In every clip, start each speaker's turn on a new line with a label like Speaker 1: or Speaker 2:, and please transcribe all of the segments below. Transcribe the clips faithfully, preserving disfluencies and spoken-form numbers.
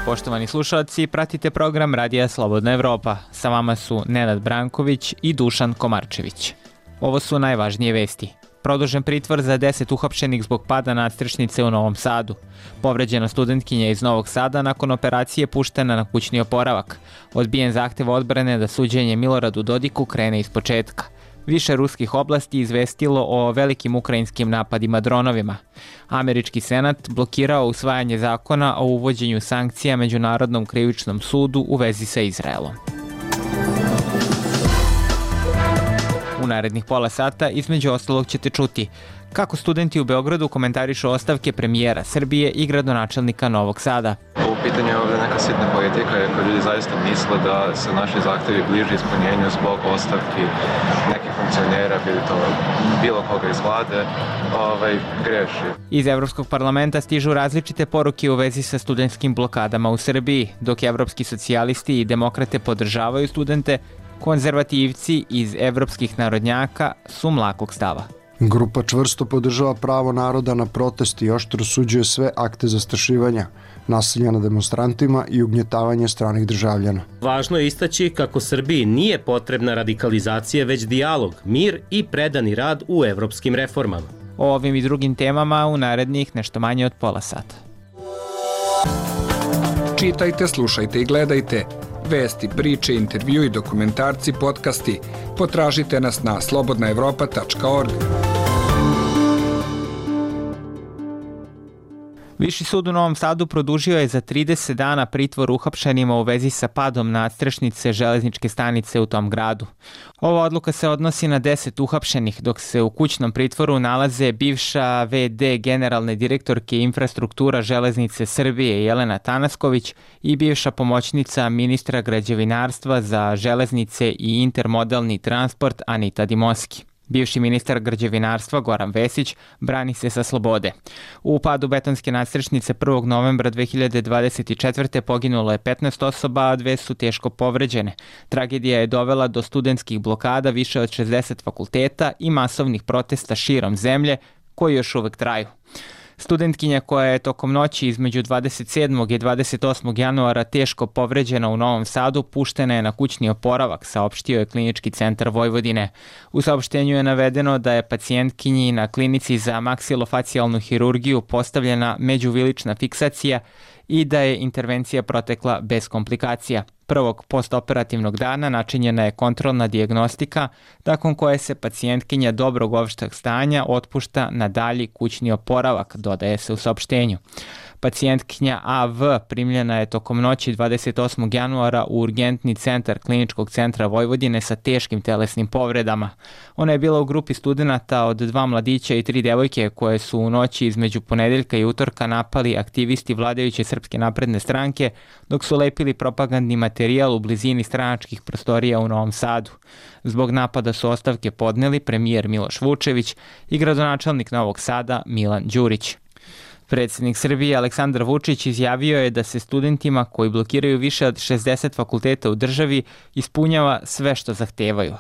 Speaker 1: Poštovani slušalci, pratite program Radija Slobodna Evropa. Sa vama su Nenad Branković i Dušan Komarčević. Ovo su najvažnije vesti. Produžen pritvor za deset uhapšenih zbog pada nadstrešnice u Novom Sadu. Povređena studentkinja iz Novog Sada nakon operacije puštena na kućni oporavak. Odbijen zahtev odbrane da suđenje Miloradu Dodiku krene iz početka. Više ruskih oblasti izvestilo o velikim ukrajinskim napadima dronovima. Američki senat blokirao usvajanje zakona o uvođenju sankcija Međunarodnom krivičnom sudu u vezi sa Izraelom. U narednih pola sata između ostalog ćete čuti kako studenti u Beogradu komentarišu ostavke premijera Srbije i gradonačelnika Novog Sada.
Speaker 2: U pitanju je ovdje neka sitna politika, jer ljudi zaista misle da se naši zahtevi bliže ispunjenju zbog ostavki nekih funkcionera, bili to bilo koga iz vlade, ovaj, greši.
Speaker 1: Iz Evropskog parlamenta stižu različite poruke u vezi sa studentskim blokadama u Srbiji, dok evropski socijalisti i demokrate podržavaju studente, konzervativci iz evropskih narodnjaka su mlakog stava.
Speaker 3: Grupa čvrsto podržava pravo naroda na protest i oštro osuđuje sve akte zastrašivanja, nasilja nad demonstrantima i ugnjetavanje stranih državljana.
Speaker 4: Važno je istaći kako Srbiji nije potrebna radikalizacija, već dijalog, mir i predani rad u evropskim reformama.
Speaker 1: O ovim i drugim temama u narednih nešto manje od pola sata.
Speaker 5: Čitajte, slušajte i gledajte. Vesti, priče, intervju i dokumentarci, podcasti. Potražite nas na slobodna evropa tačka org.
Speaker 1: Viši sud u Novom Sadu produžio je za trideset dana pritvor uhapšenima u vezi sa padom nadstrešnice železničke stanice u tom gradu. Ova odluka se odnosi na deset uhapšenih, dok se u kućnom pritvoru nalaze bivša ve de generalne direktorke infrastruktura železnice Srbije Jelena Tanasković i bivša pomoćnica ministra građevinarstva za železnice i intermodalni transport Anita Dimoski. Bivši ministar građevinarstva Goran Vesić brani se sa slobode. U padu betonske nadstrešnice prvog novembra dve hiljade dvadeset četvrte poginulo je petnaest osoba, a dve su teško povređene. Tragedija je dovela do studentskih blokada više od šezdeset fakulteta i masovnih protesta širom zemlje koji još uvek traju. Studentkinja koja je tokom noći između dvadeset sedmog i dvadeset osmog januara teško povređena u Novom Sadu puštena je na kućni oporavak, saopštio je Klinički centar Vojvodine. U saopštenju je navedeno da je pacijentkinji na klinici za maksilofacijalnu hirurgiju postavljena međuvilična fiksacija i da je intervencija protekla bez komplikacija. Prvog postoperativnog dana načinjena je kontrolna dijagnostika, nakon koje se pacijentkinja dobrog opšteg stanja otpušta na dalji kućni oporavak, dodaje se u saopštenju. Pacijentkinja a ve primljena je tokom noći dvadeset osmog januara u urgentni centar Kliničkog centra Vojvodine sa teškim telesnim povredama. Ona je bila u grupi studenata od dva mladića i tri devojke koje su u noći između ponedeljka i utorka napali aktivisti vladajuće Srpske napredne stranke dok su lepili propagandni materijal u blizini stranačkih prostorija u Novom Sadu. Zbog napada su ostavke podneli premijer Miloš Vučević i gradonačelnik Novog Sada Milan Đurić. Predsjednik Srbije Aleksandar Vučić izjavio je da se studentima koji blokiraju više od šezdeset fakulteta u državi ispunjava sve što zahtevaju.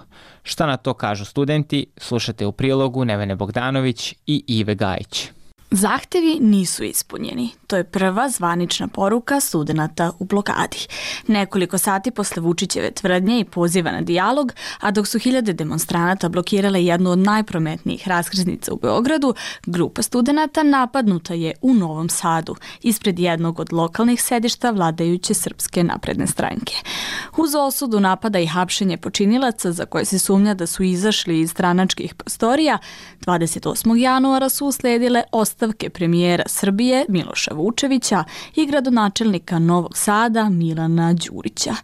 Speaker 1: Šta na to kažu studenti, slušate u prilogu Nevene Bogdanović i Ive Gajić.
Speaker 6: Zahtevi nisu ispunjeni. To je prva zvanična poruka studenata u blokadi. Nekoliko sati posle Vučićeve tvrdnje i poziva na dijalog, a dok su hiljade demonstranata blokirale jednu od najprometnijih raskrsnica u Beogradu, grupa studenata napadnuta je u Novom Sadu, ispred jednog od lokalnih sedišta vladajuće Srpske napredne stranke. Uz osudu napada i hapšenje počinilaca za koje se sumnja da su izašli iz stranačkih prostorija, dvadeset osmog januara su usledile ostavke premijera Srbije Miloša Vučevića i gradonačelnika Novog Sada Milana Đurića.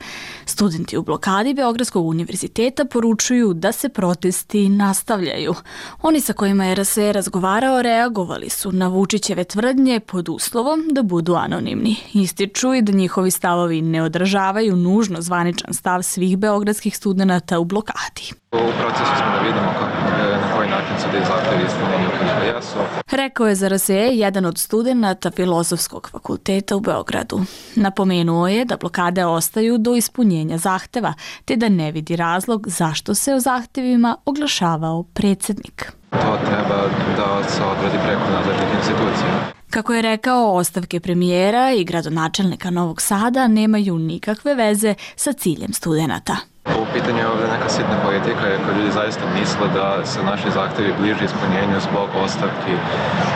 Speaker 6: Studenti u blokadi Beogradskog univerziteta poručuju da se protesti nastavljaju. Oni sa kojima je er es e razgovarao reagovali su na Vučićeve tvrdnje pod uslovom da budu anonimni. Ističu i da njihovi stavovi ne odražavaju nužno zvaničan stav svih beogradskih studenata u blokadi.
Speaker 2: U procesu smo da vidimo kako, na koji način su da zahtevi ispunjeni ukoliko jesu.
Speaker 6: Rekao je za er es e jedan od studenata Filozofskog fakulteta u Beogradu. Napomenuo je da blokade ostaju do ispunjenja zahteva, te da ne vidi razlog zašto se o zahtevima oglašavao predsjednik.
Speaker 2: To treba da se odradi preko nadležnih institucija.
Speaker 6: Kako je rekao, ostavke premijera i gradonačelnika Novog Sada nemaju nikakve veze sa ciljem studenata.
Speaker 2: U pitanju je ovdje neka sitna politika, jer kod ljudi zaista misle da se naši zahtjevi bliže ispunjenju zbog ostavki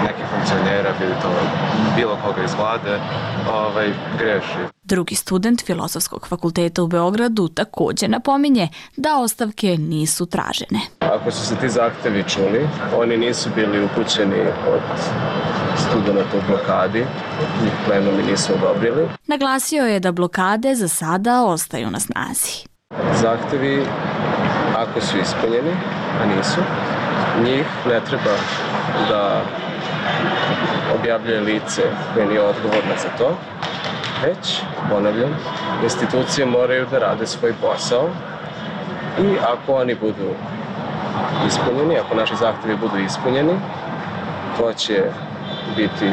Speaker 2: nekih funkcionera, bilo to bilo koga iz vlade, ovaj, greši.
Speaker 6: Drugi student Filozofskog fakulteta u Beogradu također napominje da ostavke nisu tražene.
Speaker 7: Ako su se ti zahtevi čuli, oni nisu bili upućeni od studenta u blokadi, njih plenumi nisu odobrili.
Speaker 6: Naglasio je da blokade za sada ostaju na snazi.
Speaker 7: Zahtevi, ako su ispunjeni, a nisu, njih ne treba da objavljuje lice koje nije odgovorno za to, već, ponavljam, institucije moraju da rade svoj posao i ako oni budu ispunjeni, ako naši zahtevi budu ispunjeni, to će biti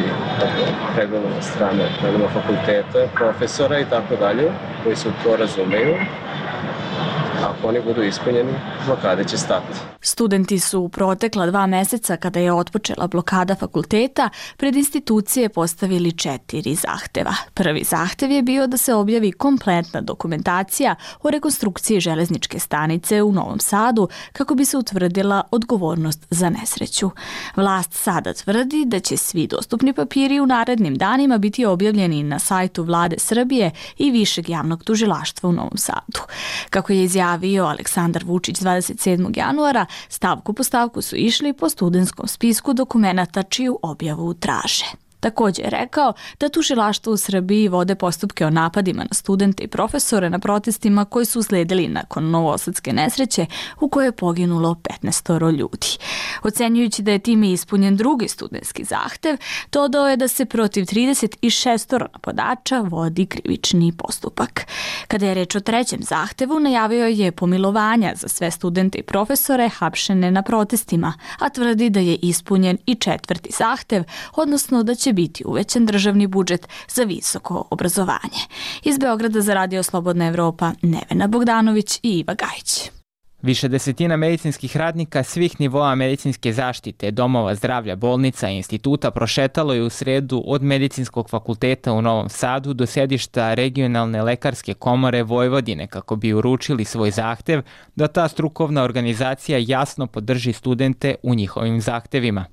Speaker 7: pregledano od strane pregledano fakulteta, profesora i tako dalje, koji se to razumeju. Ako oni budu ispunjeni, blokade će stati.
Speaker 6: Studenti su u protekla dva meseca, kada je otpočela blokada fakulteta, pred institucije postavili četiri zahteva. Prvi zahtev je bio da se objavi kompletna dokumentacija o rekonstrukciji železničke stanice u Novom Sadu kako bi se utvrdila odgovornost za nesreću. Vlast sada tvrdi da će svi dostupni papiri u narednim danima biti objavljeni na sajtu Vlade Srbije i Višeg javnog tužilaštva u Novom Sadu. Kako je izjavio Aleksandar Vučić dvadeset sedmog januara, stavku po stavku su išli po studentskom spisku dokumenata čiju objavu traže. Također je rekao da tužilaštvo u Srbiji vode postupke o napadima na studente i profesore na protestima koji su usledili nakon novosadske nesreće u kojoj je poginulo petnaestoro ljudi. Ocenjujući da je time ispunjen drugi studentski zahtev, dodao je da se protiv trideset šest napadača vodi krivični postupak. Kada je reč o trećem zahtevu, najavio je pomilovanja za sve studente i profesore hapšene na protestima, a tvrdi da je ispunjen i četvrti zahtev, odnosno da će biti uvećan državni budžet za visoko obrazovanje. Iz Beograda za Radio Slobodna Evropa, Nevena Bogdanović i Iva Gajić.
Speaker 1: Više desetina medicinskih radnika svih nivoa medicinske zaštite, domova zdravlja, bolnica i instituta prošetalo je u sredu od Medicinskog fakulteta u Novom Sadu do sedišta Regionalne lekarske komore Vojvodine kako bi uručili svoj zahtev da ta strukovna organizacija jasno podrži studente u njihovim zahtevima.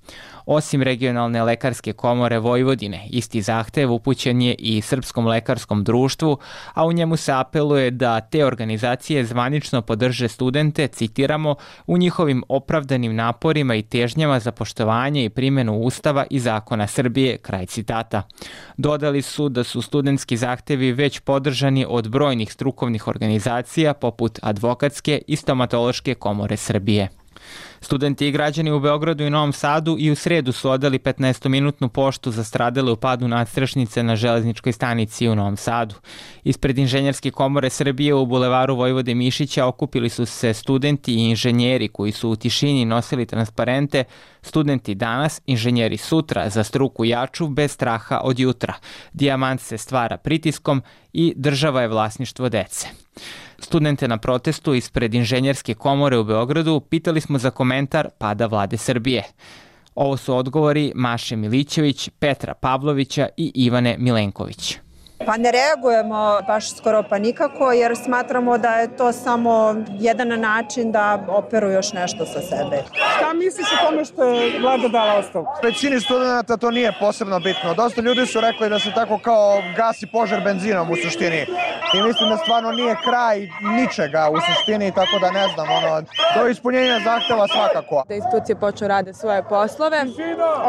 Speaker 1: Osim Regionalne lekarske komore Vojvodine, isti zahtev upućen je i Srpskom lekarskom društvu, a u njemu se apeluje da te organizacije zvanično podrže studente, citiramo, u njihovim opravdanim naporima i težnjama za poštovanje i primjenu Ustava i zakona Srbije, kraj citata. Dodali su da su studentski zahtevi već podržani od brojnih strukovnih organizacija poput Advokatske i Stomatološke komore Srbije. Studenti i građani u Beogradu i Novom Sadu i u sredu su odali petnaestominutnu poštu za stradale u padu nadstrešnice na železničkoj stanici u Novom Sadu. Ispred Inženjerske komore Srbije u bulevaru Vojvode Mišića okupili su se studenti i inženjeri koji su u tišini nosili transparente "Studenti danas, inženjeri sutra, za struku jaču, bez straha od jutra. Dijamant se stvara pritiskom i država je vlasništvo dece." Studente na protestu ispred Inženjerske komore u Beogradu pitali smo za komentar pada Vlade Srbije. Ovo su odgovori Maše Milićević, Petra Pavlovića i Ivane Milenković.
Speaker 8: Pa ne reagujemo baš skoro pa nikako, jer smatramo da je to samo jedan način da operu još nešto sa sebe.
Speaker 9: Šta misliš o tome što je vlada dala ostavku?
Speaker 10: Većini studenta to nije posebno bitno. Dosta ljudi su rekli da se tako kao gasi požar benzinom u suštini. I mislim da stvarno nije kraj ničega u suštini, tako da ne znam, ono, do ispunjenja zahteva svakako.
Speaker 11: Da institucije počnu rade svoje poslove,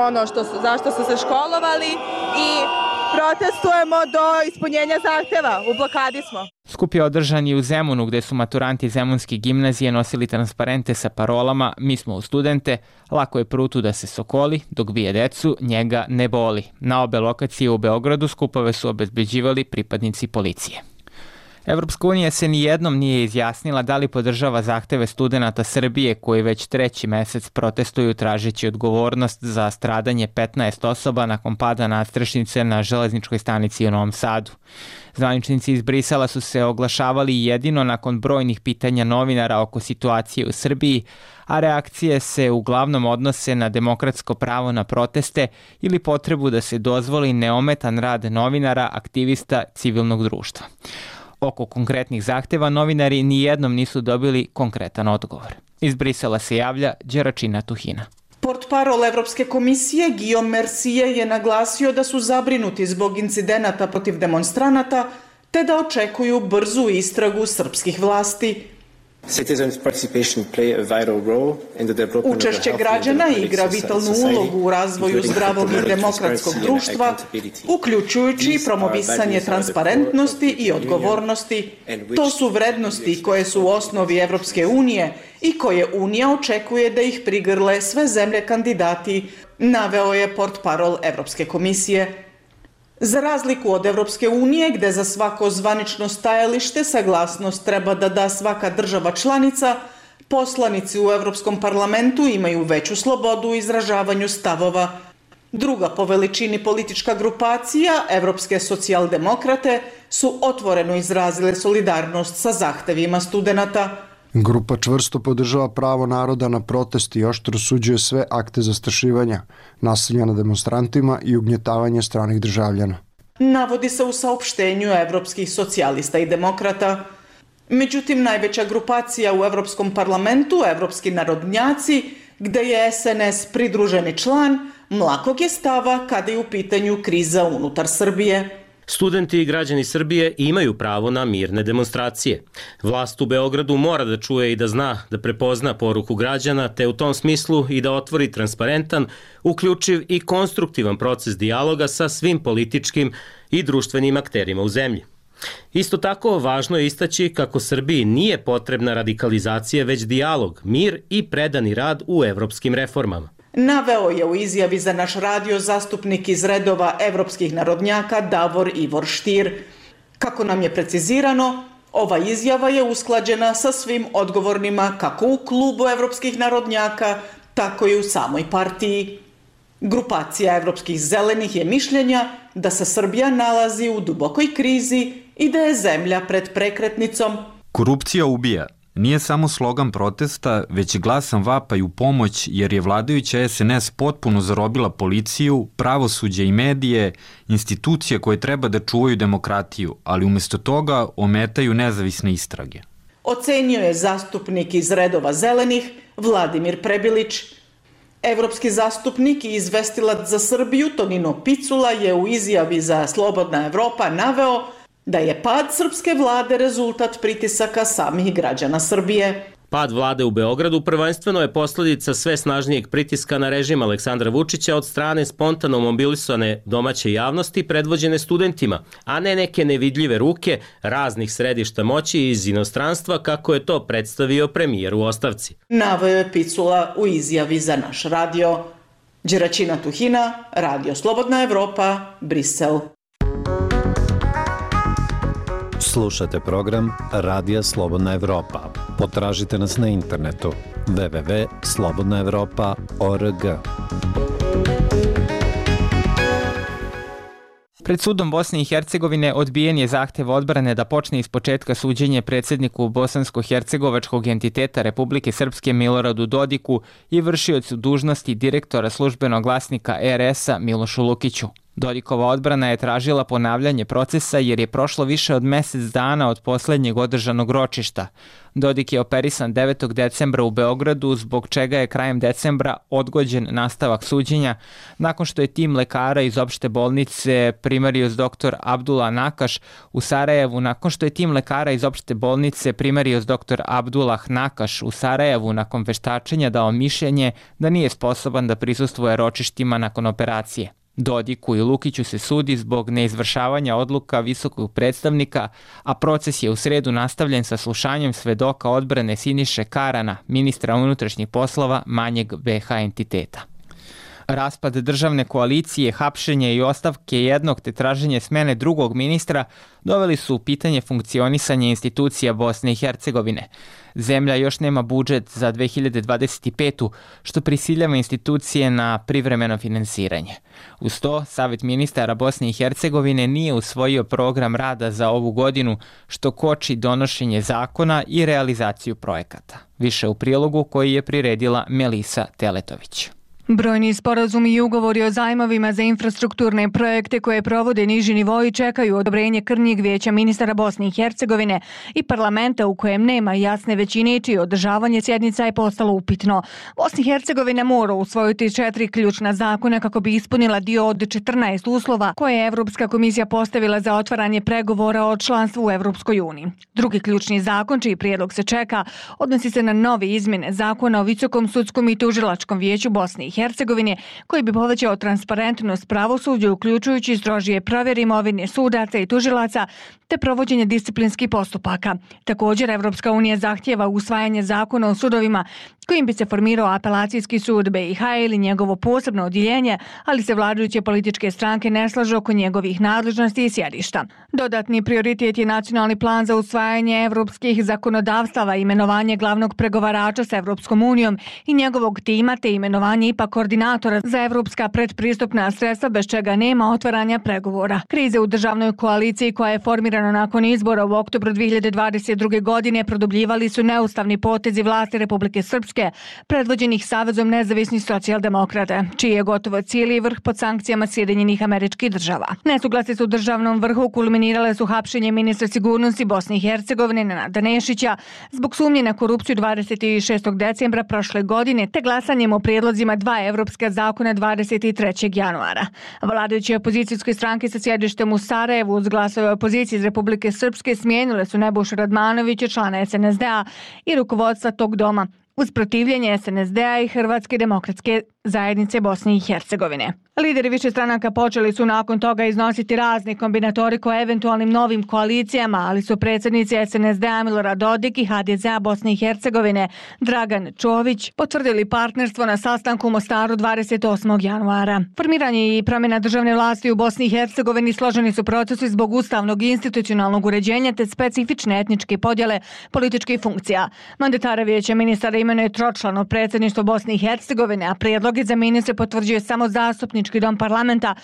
Speaker 11: ono što su, zašto su se školovali i protestujemo do ispunjenja zahteva. U blokadi smo.
Speaker 1: Skup je održan i u Zemunu, gde su maturanti Zemunske gimnazije nosili transparente sa parolama "Mi smo u studente, lako je prutu da se sokoli, dok bije decu, njega ne boli." Na obe lokacije u Beogradu skupove su obezbeđivali pripadnici policije. Evropska unija se nijednom nije izjasnila da li podržava zahteve studenata Srbije koji već treći mesec protestuju tražeći odgovornost za stradanje petnaest osoba nakon pada nadstrešnice na železničkoj stanici u Novom Sadu. Zvaničnici iz Brisela su se oglašavali jedino nakon brojnih pitanja novinara oko situacije u Srbiji, a reakcije se uglavnom odnose na demokratsko pravo na proteste ili potrebu da se dozvoli neometan rad novinara, aktivista civilnog društva. Oko konkretnih zahteva novinari nijednom nisu dobili konkretan odgovor. Iz Brisela se javlja Đeračina Tuhina.
Speaker 12: Portparol Evropske komisije Guillaume Mercier je naglasio da su zabrinuti zbog incidenata protiv demonstranata te da očekuju brzu istragu srpskih vlasti. Učešće građana igra vitalnu ulogu u razvoju zdravog i demokratskog društva, uključujući promovisanje transparentnosti i odgovornosti. To su vrednosti koje su u osnovi Evropske unije i koje Unija očekuje da ih prigrle sve zemlje kandidati, naveo je portparol Evropske komisije. Za razliku od Evropske unije, gde za svako zvanično stajalište saglasnost treba da da svaka država članica, poslanici u Evropskom parlamentu imaju veću slobodu u izražavanju stavova. Druga po veličini politička grupacija, Evropske socijaldemokrate, su otvoreno izrazile solidarnost sa zahtevima studenata.
Speaker 3: Grupa čvrsto podržava pravo naroda na protest i oštro osuđuje sve akte zastrašivanja, nasilja nad demonstrantima i ugnjetavanje stranih državljana.
Speaker 12: Navodi se u saopštenju evropskih socijalista i demokrata. Međutim, najveća grupacija u Evropskom parlamentu, Evropski narodnjaci, gde je S N S pridruženi član, mlakog je stava kada je u pitanju kriza unutar Srbije.
Speaker 4: Studenti i građani Srbije imaju pravo na mirne demonstracije. Vlast u Beogradu mora da čuje i da zna, da prepozna poruku građana, te u tom smislu i da otvori transparentan, uključiv i konstruktivan proces dijaloga sa svim političkim i društvenim akterima u zemlji. Isto tako, važno je istaći kako Srbiji nije potrebna radikalizacija, već dijalog, mir i predani rad u evropskim reformama.
Speaker 12: Naveo je u izjavi za naš radio zastupnik iz redova evropskih narodnjaka Davor Ivor Štir. Kako nam je precizirano, ova izjava je usklađena sa svim odgovornima kako u klubu evropskih narodnjaka, tako i u samoj partiji. Grupacija evropskih zelenih je mišljenja da se Srbija nalazi u dubokoj krizi i da je zemlja pred prekretnicom.
Speaker 13: Korupcija ubija. Nije samo slogan protesta, već glasan vapaj u pomoć jer je vladajuća S N S potpuno zarobila policiju, pravosuđe i medije, institucije koje treba da čuvaju demokratiju, ali umesto toga ometaju nezavisne istrage.
Speaker 12: Ocenio je zastupnik iz redova zelenih Vladimir Prebilić. Evropski zastupnik i izvestilac za Srbiju Tonino Picula je u izjavi za Slobodna Evropa naveo da je pad srpske vlade rezultat pritisaka samih građana Srbije.
Speaker 4: Pad vlade u Beogradu prvenstveno je posledica sve snažnijeg pritiska na režim Aleksandra Vučića od strane spontano mobilisane domaće javnosti predvođene studentima, a ne neke nevidljive ruke raznih središta moći iz inostranstva kako je to predstavio premijer u ostavci.
Speaker 12: Naveo je Picula u izjavi za naš radio. Đeračina Tuhina, Radio Slobodna Evropa, Brisel.
Speaker 14: Slušate program Radija Slobodna Evropa. Potražite nas na internetu w w w tačka slobodna evropa tačka org.
Speaker 1: Pred sudom Bosne i Hercegovine odbijen je zahtev odbrane da počne ispočetka suđenje predsjedniku bosansko-hercegovačkog entiteta Republike Srpske Miloradu Dodiku i vršiocu dužnosti direktora službenog glasnika R S-a Milošu Lukiću. Dodikova odbrana je tražila ponavljanje procesa jer je prošlo više od mesec dana od posljednjeg održanog ročišta. Dodik je operisan devetog decembra u Beogradu, zbog čega je krajem decembra odgođen nastavak suđenja, nakon što je tim lekara iz opšte bolnice primarius doktor Abdullah Nakaš u Sarajevu, nakon što je tim lekara iz opšte bolnice primarius doktor Abdullah Nakaš u Sarajevu nakon veštačenja dao mišljenje da nije sposoban da prisustvuje ročištima nakon operacije. Dodiku i Lukiću se sudi zbog neizvršavanja odluka visokog predstavnika, a proces je u sredu nastavljen sa slušanjem svedoka odbrane Siniše Karana, ministra unutrašnjih poslova manjeg B H entiteta. Raspad državne koalicije, hapšenje i ostavke jednog te traženje smene drugog ministra doveli su u pitanje funkcionisanje institucija Bosne i Hercegovine. Zemlja još nema budžet za dve hiljade dvadeset petu. što prisiljava institucije na privremeno finansiranje. Uz to, Savet ministara Bosne i Hercegovine nije usvojio program rada za ovu godinu, što koči donošenje zakona i realizaciju projekata. Više u prilogu koji je priredila Melisa Teletović.
Speaker 15: Brojni sporazumi i ugovori o zajmovima za infrastrukturne projekte koje provode niži nivoi čekaju odobrenje krnjeg vijeća ministara Bosne i Hercegovine i parlamenta u kojem nema jasne većine, čije održavanje sjednica je postalo upitno. Bosna i Hercegovina mora usvojiti četiri ključna zakona kako bi ispunila dio od četrnaest uslova koje je Evropska komisija postavila za otvaranje pregovora o članstvu u Evropskoj uniji. Drugi ključni zakon, čiji prijedlog se čeka, odnosi se na nove izmjene zakona o Visokom sudskom i tužilačkom vijeću Bosne i Hercegovine, koji bi povećao transparentnost pravosuđa, uključujući strožije provjere imovine sudaca i tužilaca te provođenje disciplinskih postupaka. Također, Evropska unija zahtjeva usvajanje zakona o sudovima kojim bi se formirao apelacijski sud B i H ili njegovo posebno odjeljenje, ali se vladajuće političke stranke ne slažu oko njegovih nadležnosti i sjedišta. Dodatni prioritet je nacionalni plan za usvajanje evropskih zakonodavstava, imenovanje glavnog pregovarača sa Evropskom unijom i njegovog tima te imenovanje I P A koordinatora za evropska predpristupna sredstva, bez čega nema otvaranja pregovora. Krize u državnoj koaliciji koja je formirana nakon izbora u oktobru dve hiljade dvadeset druge. godine produbljivali su neustavni potezi vlasti Republike Srpske predvođenih Savezom nezavisnih socijaldemokrata, čiji je gotovo cijeli vrh pod sankcijama Sjedinjenih Američkih Država. Nesuglasice su u državnom vrhu kulminirale su hapšenje ministra sigurnosti Bosne i Hercegovine Nenada Nešića zbog sumnje na korupciju dvadeset šestog decembra prošle godine te glasanjem o prijedlozima dva evropska zakona dvadeset trećeg januara. Vladajuće opozicijske stranke sa sjedištem u Sarajevu uz glasove opozicije iz Republike Srpske smijenile su Nebojšu Radmanovića, člana S N S D-a i rukovodstva tog doma, uz protivljenje S N S D-a i Hrvatske demokratske zajednice Bosne i Hercegovine. Lideri više stranaka počeli su nakon toga iznositi razne kombinatorike o eventualnim novim koalicijama, ali su predsjednici S N S D-a Milorad Dodik i H D Z-a Bosne i Hercegovine Dragan Čović potvrdili partnerstvo na sastanku u Mostaru dvadeset osmog januara. Formiranje i promjena državne vlasti u Bosni i Hercegovini složeni su procesi zbog ustavnog i institucionalnog uređenja te specifične etničke podjele političkih funkcija. Mandatara vijeća ministara imenuje tročlano predsjedništvo Bosne i Hercegovine, a prijedloge za ministre potvrđuje samo zastupnički dom parlamenta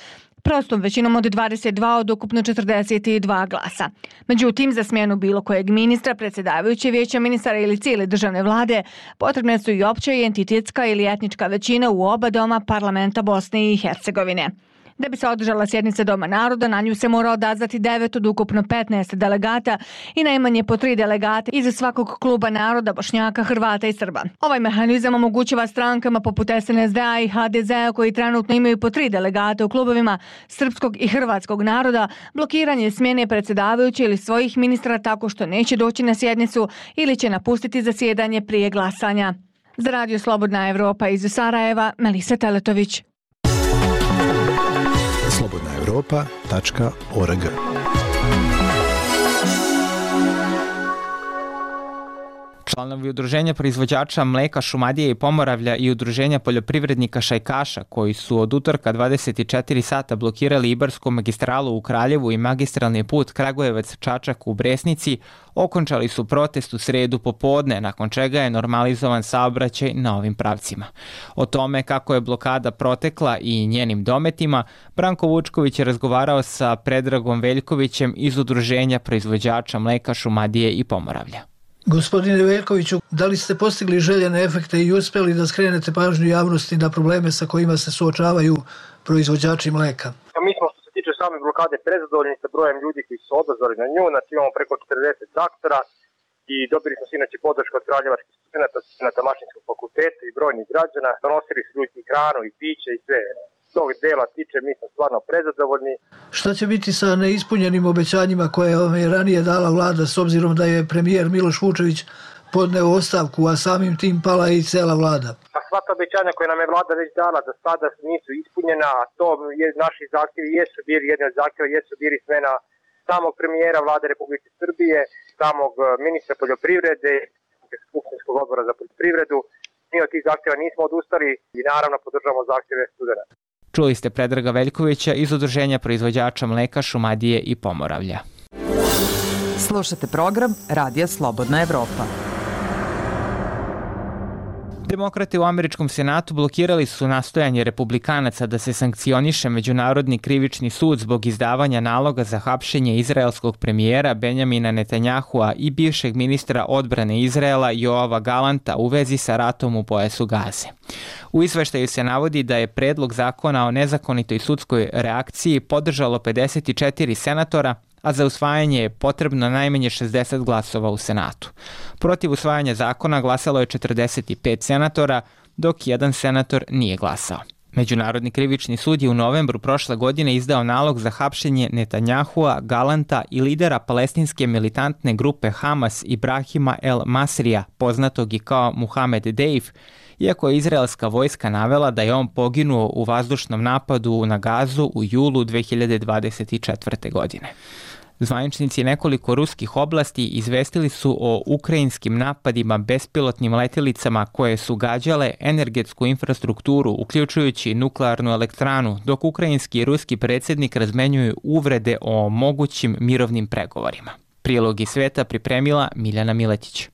Speaker 15: prostom većinom od dvadeset dva od ukupno četrdeset dva glasa. Međutim, za smjenu bilo kojeg ministra, predsjedavajuće vijeća ministara ili cijele državne vlade potrebne su i opća i entitetska ili etnička većina u oba doma parlamenta Bosne i Hercegovine. Da bi se održala sjednica Doma naroda, na nju se mora odazvati devet od ukupno petnaest delegata i najmanje po tri delegata iz svakog kluba naroda, Bošnjaka, Hrvata i Srba. Ovaj mehanizam omogućava strankama poput S N S D-a i H D Z-a koji trenutno imaju po tri delegata u klubovima srpskog i hrvatskog naroda blokiranje smjene predsjedavajuće ili svojih ministra tako što neće doći na sjednicu ili će napustiti zasjedanje prije glasanja. Za Radio Slobodna Evropa iz Sarajeva, Melisa Teletović.
Speaker 16: slobodna evropa tačka org.
Speaker 1: Članovi Udruženja proizvođača mleka Šumadije i Pomoravlja i Udruženja poljoprivrednika Šajkaša, koji su od utorka dvadeset četiri sata blokirali Ibarsku magistralu u Kraljevu i magistralni put Kragujevac-Čačak u Bresnici, okončali su protest u sredu popodne, nakon čega je normalizovan saobraćaj na ovim pravcima. O tome kako je blokada protekla i njenim dometima, Branko Vučković je razgovarao sa Predragom Veljkovićem iz Udruženja proizvođača mleka Šumadije i Pomoravlja.
Speaker 17: Gospodine Veljkoviću, da li ste postigli željene efekte i uspjeli da skrenete pažnju javnosti na probleme sa kojima se suočavaju proizvođači mleka?
Speaker 18: Mi smo što se tiče same blokade prezadovoljni sa brojem ljudi koji su odazvali na nju, znači imamo preko četrdeset aktora i dobili smo inače podršku od kraljevačkih studenata, studenata Mašinskog fakulteta i brojnih građana, donosili su ljudi i hranu i piće i sve. Tog dela tiče, mi smo stvarno prezadovoljni.
Speaker 17: Šta će biti sa neispunjenim obećanjima koje vam je ranije dala vlada s obzirom da je premijer Miloš Vučević podneo ostavku, a samim tim pala i cela vlada?
Speaker 18: Pa sva ta obećanja koje nam je vlada već dala da sada nisu ispunjena, a to je, naši zahtjevi jesu bili, jedni od zahtjeva jesu bili smena samog premijera vlade Republike Srbije, samog ministra poljoprivrede, skupštinskog odbora za poljoprivredu Mi od tih zahtjeva nismo odustali i naravno podržavamo zahtjeve studenta.
Speaker 1: Čuli ste Predraga Veljkovića iz Udruženja proizvođača mleka Šumadije i Pomoravlja.
Speaker 19: Slušate program Radija Slobodna Evropa.
Speaker 1: Demokrate u američkom senatu blokirali su nastojanje republikanaca da se sankcioniše Međunarodni krivični sud zbog izdavanja naloga za hapšenje izraelskog premijera Benjamina Netanjahua i bivšeg ministra odbrane Izraela Joava Galanta u vezi sa ratom u pojasu Gaze. U izveštaju se navodi da je predlog zakona o nezakonitoj sudskoj reakciji podržalo pedeset četiri senatora, a za usvajanje je potrebno najmanje šezdeset glasova u Senatu. Protiv usvajanja zakona glasalo je četrdeset pet senatora, dok jedan senator nije glasao. Međunarodni krivični sud je u novembru prošle godine izdao nalog za hapšenje Netanjahua, Galanta i lidera palestinske militantne grupe Hamas Ibrahima El Masrija, poznatog i kao Muhamed Deif, iako je izraelska vojska navela da je on poginuo u vazdušnom napadu na Gazu u julu dve hiljade dvadeset četvrte. godine. Zvaničnici nekoliko ruskih oblasti izvestili su o ukrajinskim napadima bespilotnim letjelicama koje su gađale energetsku infrastrukturu, uključujući nuklearnu elektranu, dok ukrajinski i ruski predsjednik razmenjuju uvrede o mogućim mirovnim pregovorima. Prilog iz sveta pripremila Miljana Miletić.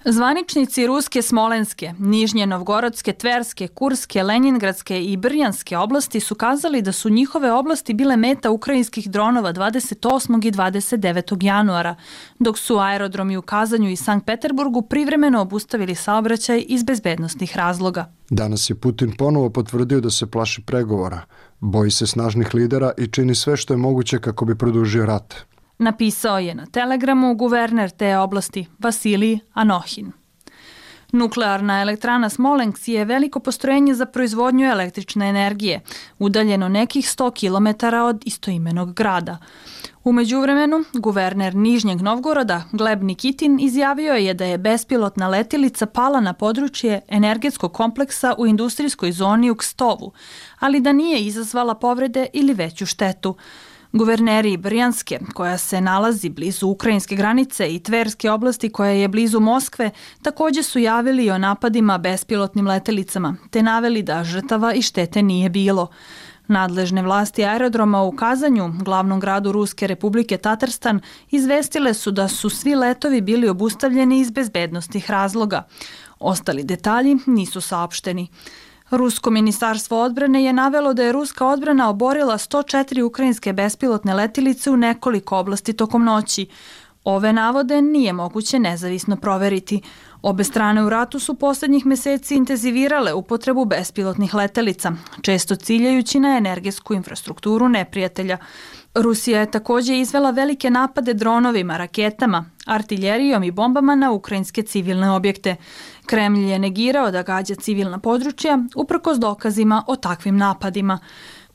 Speaker 6: Zvaničnici ruske Smolenske, Nižnje Novgorodske, Tverske, Kurske, Lenjingradske i Brjanske oblasti su kazali da su njihove oblasti bile meta ukrajinskih dronova dvadeset osmog i dvadeset devetog januara, dok su aerodromi u Kazanju i Sankt Peterburgu privremeno obustavili saobraćaj iz bezbednosnih razloga.
Speaker 3: Danas je Putin ponovo potvrdio da se plaši pregovora, boji se snažnih lidera i čini sve što je moguće kako bi produžio rat.
Speaker 6: Napisao je na Telegramu guverner te oblasti Vasilij Anohin. Nuklearna elektrana Smolensk je veliko postrojenje za proizvodnju električne energije, udaljeno nekih sto kilometara od istoimenog grada. U međuvremenu, guverner Nižnjeg Novgoroda Gleb Nikitin izjavio je da je bespilotna letjelica pala na područje energetskog kompleksa u industrijskoj zoni u Kstovu, ali da nije izazvala povrede ili veću štetu. Guverneri Brjanske, koja se nalazi blizu ukrajinske granice, i Tverske oblasti, koja je blizu Moskve, također su javili o napadima bespilotnim letjelicama, te naveli da žrtava i štete nije bilo. Nadležne vlasti aerodroma u Kazanju, glavnom gradu Ruske republike Tatarstan, izvestile su da su svi letovi bili obustavljeni iz bezbednostnih razloga. Ostali detalji nisu saopšteni. Rusko ministarstvo odbrane je navelo da je ruska odbrana oborila sto četiri ukrajinske bespilotne letjelice u nekoliko oblasti tokom noći. Ove navode nije moguće nezavisno proveriti. Obe strane u ratu su posljednjih meseci intenzivirale upotrebu bespilotnih letjelica, često ciljajući na energetsku infrastrukturu neprijatelja. Rusija je također izvela velike napade dronovima, raketama, artiljerijom i bombama na ukrajinske civilne objekte. Kremlj je negirao da gađa civilna područja uprkos dokazima o takvim napadima.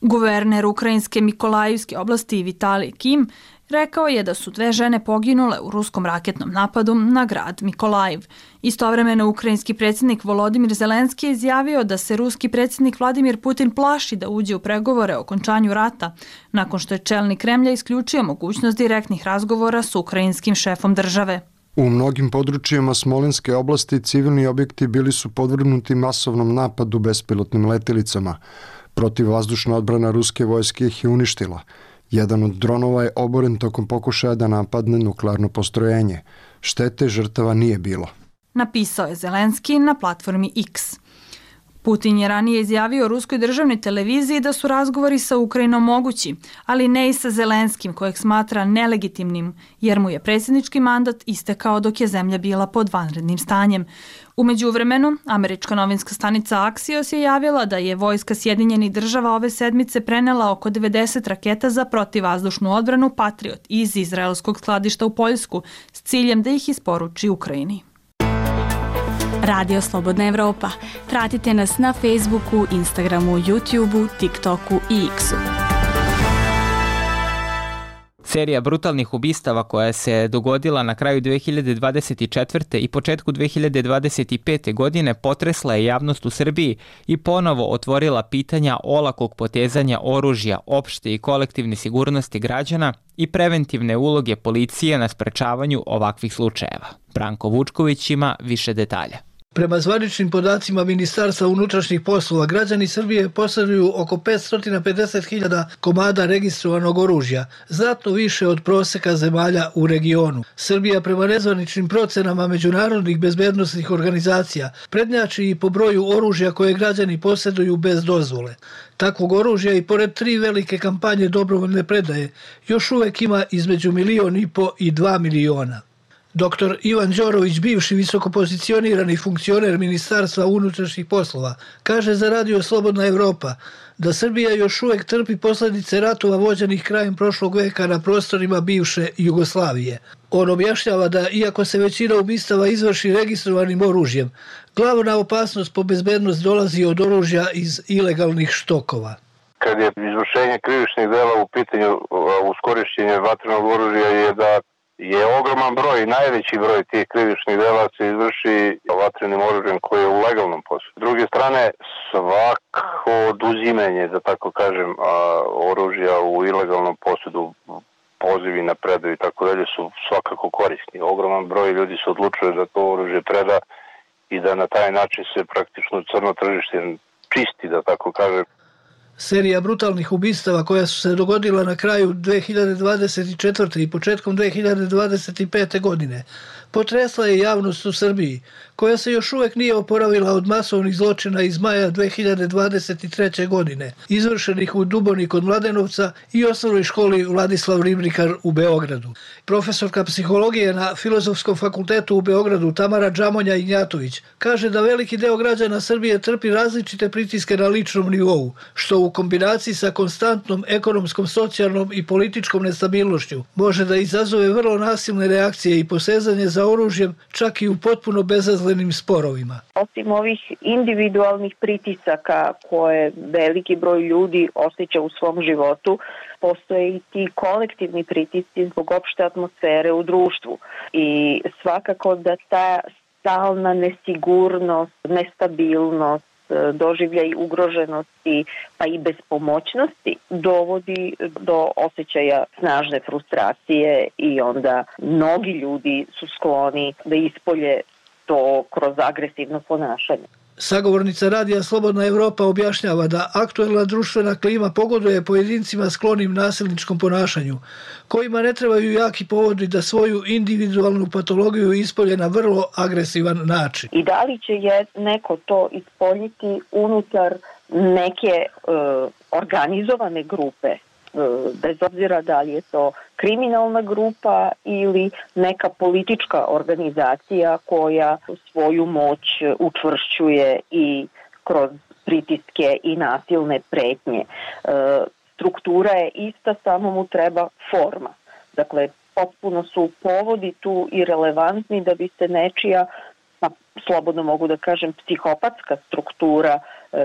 Speaker 6: Guverner ukrajinske Mikolajivske oblasti Vitalij Kim rekao je da su dve žene poginule u ruskom raketnom napadu na grad Mikolajiv. Istovremeno ukrajinski predsjednik Volodimir Zelenski je izjavio da se ruski predsjednik Vladimir Putin plaši da uđe u pregovore o okončanju rata, nakon što je čelnik Kremlja isključio mogućnost direktnih razgovora s ukrajinskim šefom države.
Speaker 3: U mnogim područjima Smolenske oblasti civilni objekti bili su podvrgnuti masovnom napadu bespilotnim letjelicama. Protivvazdušna odbrana ruske vojske ih je uništila. Jedan od dronova je oboren tokom pokušaja da napadne nuklearno postrojenje. Štete žrtava nije bilo.
Speaker 6: Napisao je Zelenski na platformi X. Putin je ranije izjavio ruskoj državnoj televiziji da su razgovori sa Ukrajinom mogući, ali ne i sa Zelenskim, kojeg smatra nelegitimnim, jer mu je predsjednički mandat istekao dok je zemlja bila pod vanrednim stanjem. U međuvremenu, američka novinska stanica Axios je javila da je vojska Sjedinjenih država ove sedmice prenela oko devedeset raketa za protivvazdušnu odbranu Patriot iz izraelskog skladišta u Poljsku s ciljem da ih isporuči Ukrajini.
Speaker 20: Radio Slobodna Evropa. Pratite nas na Facebooku, Instagramu, YouTubeu, TikToku i X-u.
Speaker 1: Serija brutalnih ubistava koja se dogodila na kraju dve hiljade dvadeset četvrte i početku dve hiljade dvadeset pete. godine potresla je javnost u Srbiji i ponovo otvorila pitanja olakog potezanja oružja, opšte i kolektivne sigurnosti građana i preventivne uloge policije na sprečavanju ovakvih slučajeva. Branko Vučković ima više detalja.
Speaker 17: Prema zvaničnim podacima Ministarstva unutrašnjih poslova, građani Srbije posjeduju oko petsto pedeset hiljada komada registrovanog oružja, znatno više od proseka zemalja u regionu. Srbija prema nezvaničnim procenama međunarodnih bezbednosnih organizacija prednjači i po broju oružja koje građani posjeduju bez dozvole. Takvog oružja i pored tri velike kampanje dobrovoljne predaje još uvek ima između milion i po i dva miliona. Doktor Ivan Đorović, bivši visokopozicionirani funkcioner Ministarstva unutrašnjih poslova, kaže za Radio Slobodna Evropa da Srbija još uvek trpi posljedice ratova vođenih krajem prošlog veka na prostorima bivše Jugoslavije. On objašnjava da, iako se većina ubistava izvrši registrovanim oružjem, glavna opasnost po bezbednost dolazi od oružja iz ilegalnih štokova.
Speaker 21: Kad je izvršenje krivičnih dela u pitanju uz korišćenje vatrenog oružja je da je ogroman broj, najveći broj tih krivičnih dela se izvrši vatrenim oružjem koje je u legalnom posjedu. S druge strane, svako oduzimanje, da tako kažem, oružja u ilegalnom posjedu, pozivi na predaju i tako dalje su svakako korisni. Ogroman broj ljudi se odlučuje da to oružje preda i da na taj način se praktično crno tržište čisti, da tako kažem.
Speaker 17: Serija brutalnih ubistava koja su se dogodila na kraju dve hiljade dvadeset četvrte i početkom dve hiljade dvadeset pete godine potresla je javnost u Srbiji, koja se još uvek nije oporavila od masovnih zločina iz maja dve hiljade dvadeset treće godine, izvršenih u Duboni kod Mladenovca i osnovnoj školi Vladislav Ribnikar u Beogradu. Profesorka psihologije na Filozofskom fakultetu u Beogradu Tamara Džamonja Ignjatović kaže da veliki deo građana Srbije trpi različite pritiske na ličnom nivou, što u kombinaciji sa konstantnom ekonomskom, socijalnom i političkom nestabilnošću može da izazove vrlo nasilne reakcije i posezanje za oružjem, čak i u potpuno bezazlenim sporovima.
Speaker 22: Osim ovih individualnih pritisaka koje veliki broj ljudi osjeća u svom životu, postoje i ti kolektivni pritisci zbog opšte atmosfere u društvu. I svakako da ta stalna nesigurnost, nestabilnost, doživljaj ugroženosti pa i bespomoćnosti dovodi do osjećaja snažne frustracije i onda mnogi ljudi su skloni da ispolje to kroz agresivno ponašanje.
Speaker 17: Sagovornica Radija Slobodna Evropa objašnjava da aktuelna društvena klima pogoduje pojedincima sklonim nasilničkom ponašanju, kojima ne trebaju jaki povodi da svoju individualnu patologiju ispolje na vrlo agresivan način.
Speaker 22: I da li će je neko to ispoljiti unutar neke e, organizovane grupe, bez obzira da li je to kriminalna grupa ili neka politička organizacija koja svoju moć učvršćuje i kroz pritiske i nasilne pretnje. Struktura je ista, samo mu treba forma. Dakle, potpuno su povodi tu i relevantni da bi se nečija, pa slobodno mogu da kažem, psihopatska struktura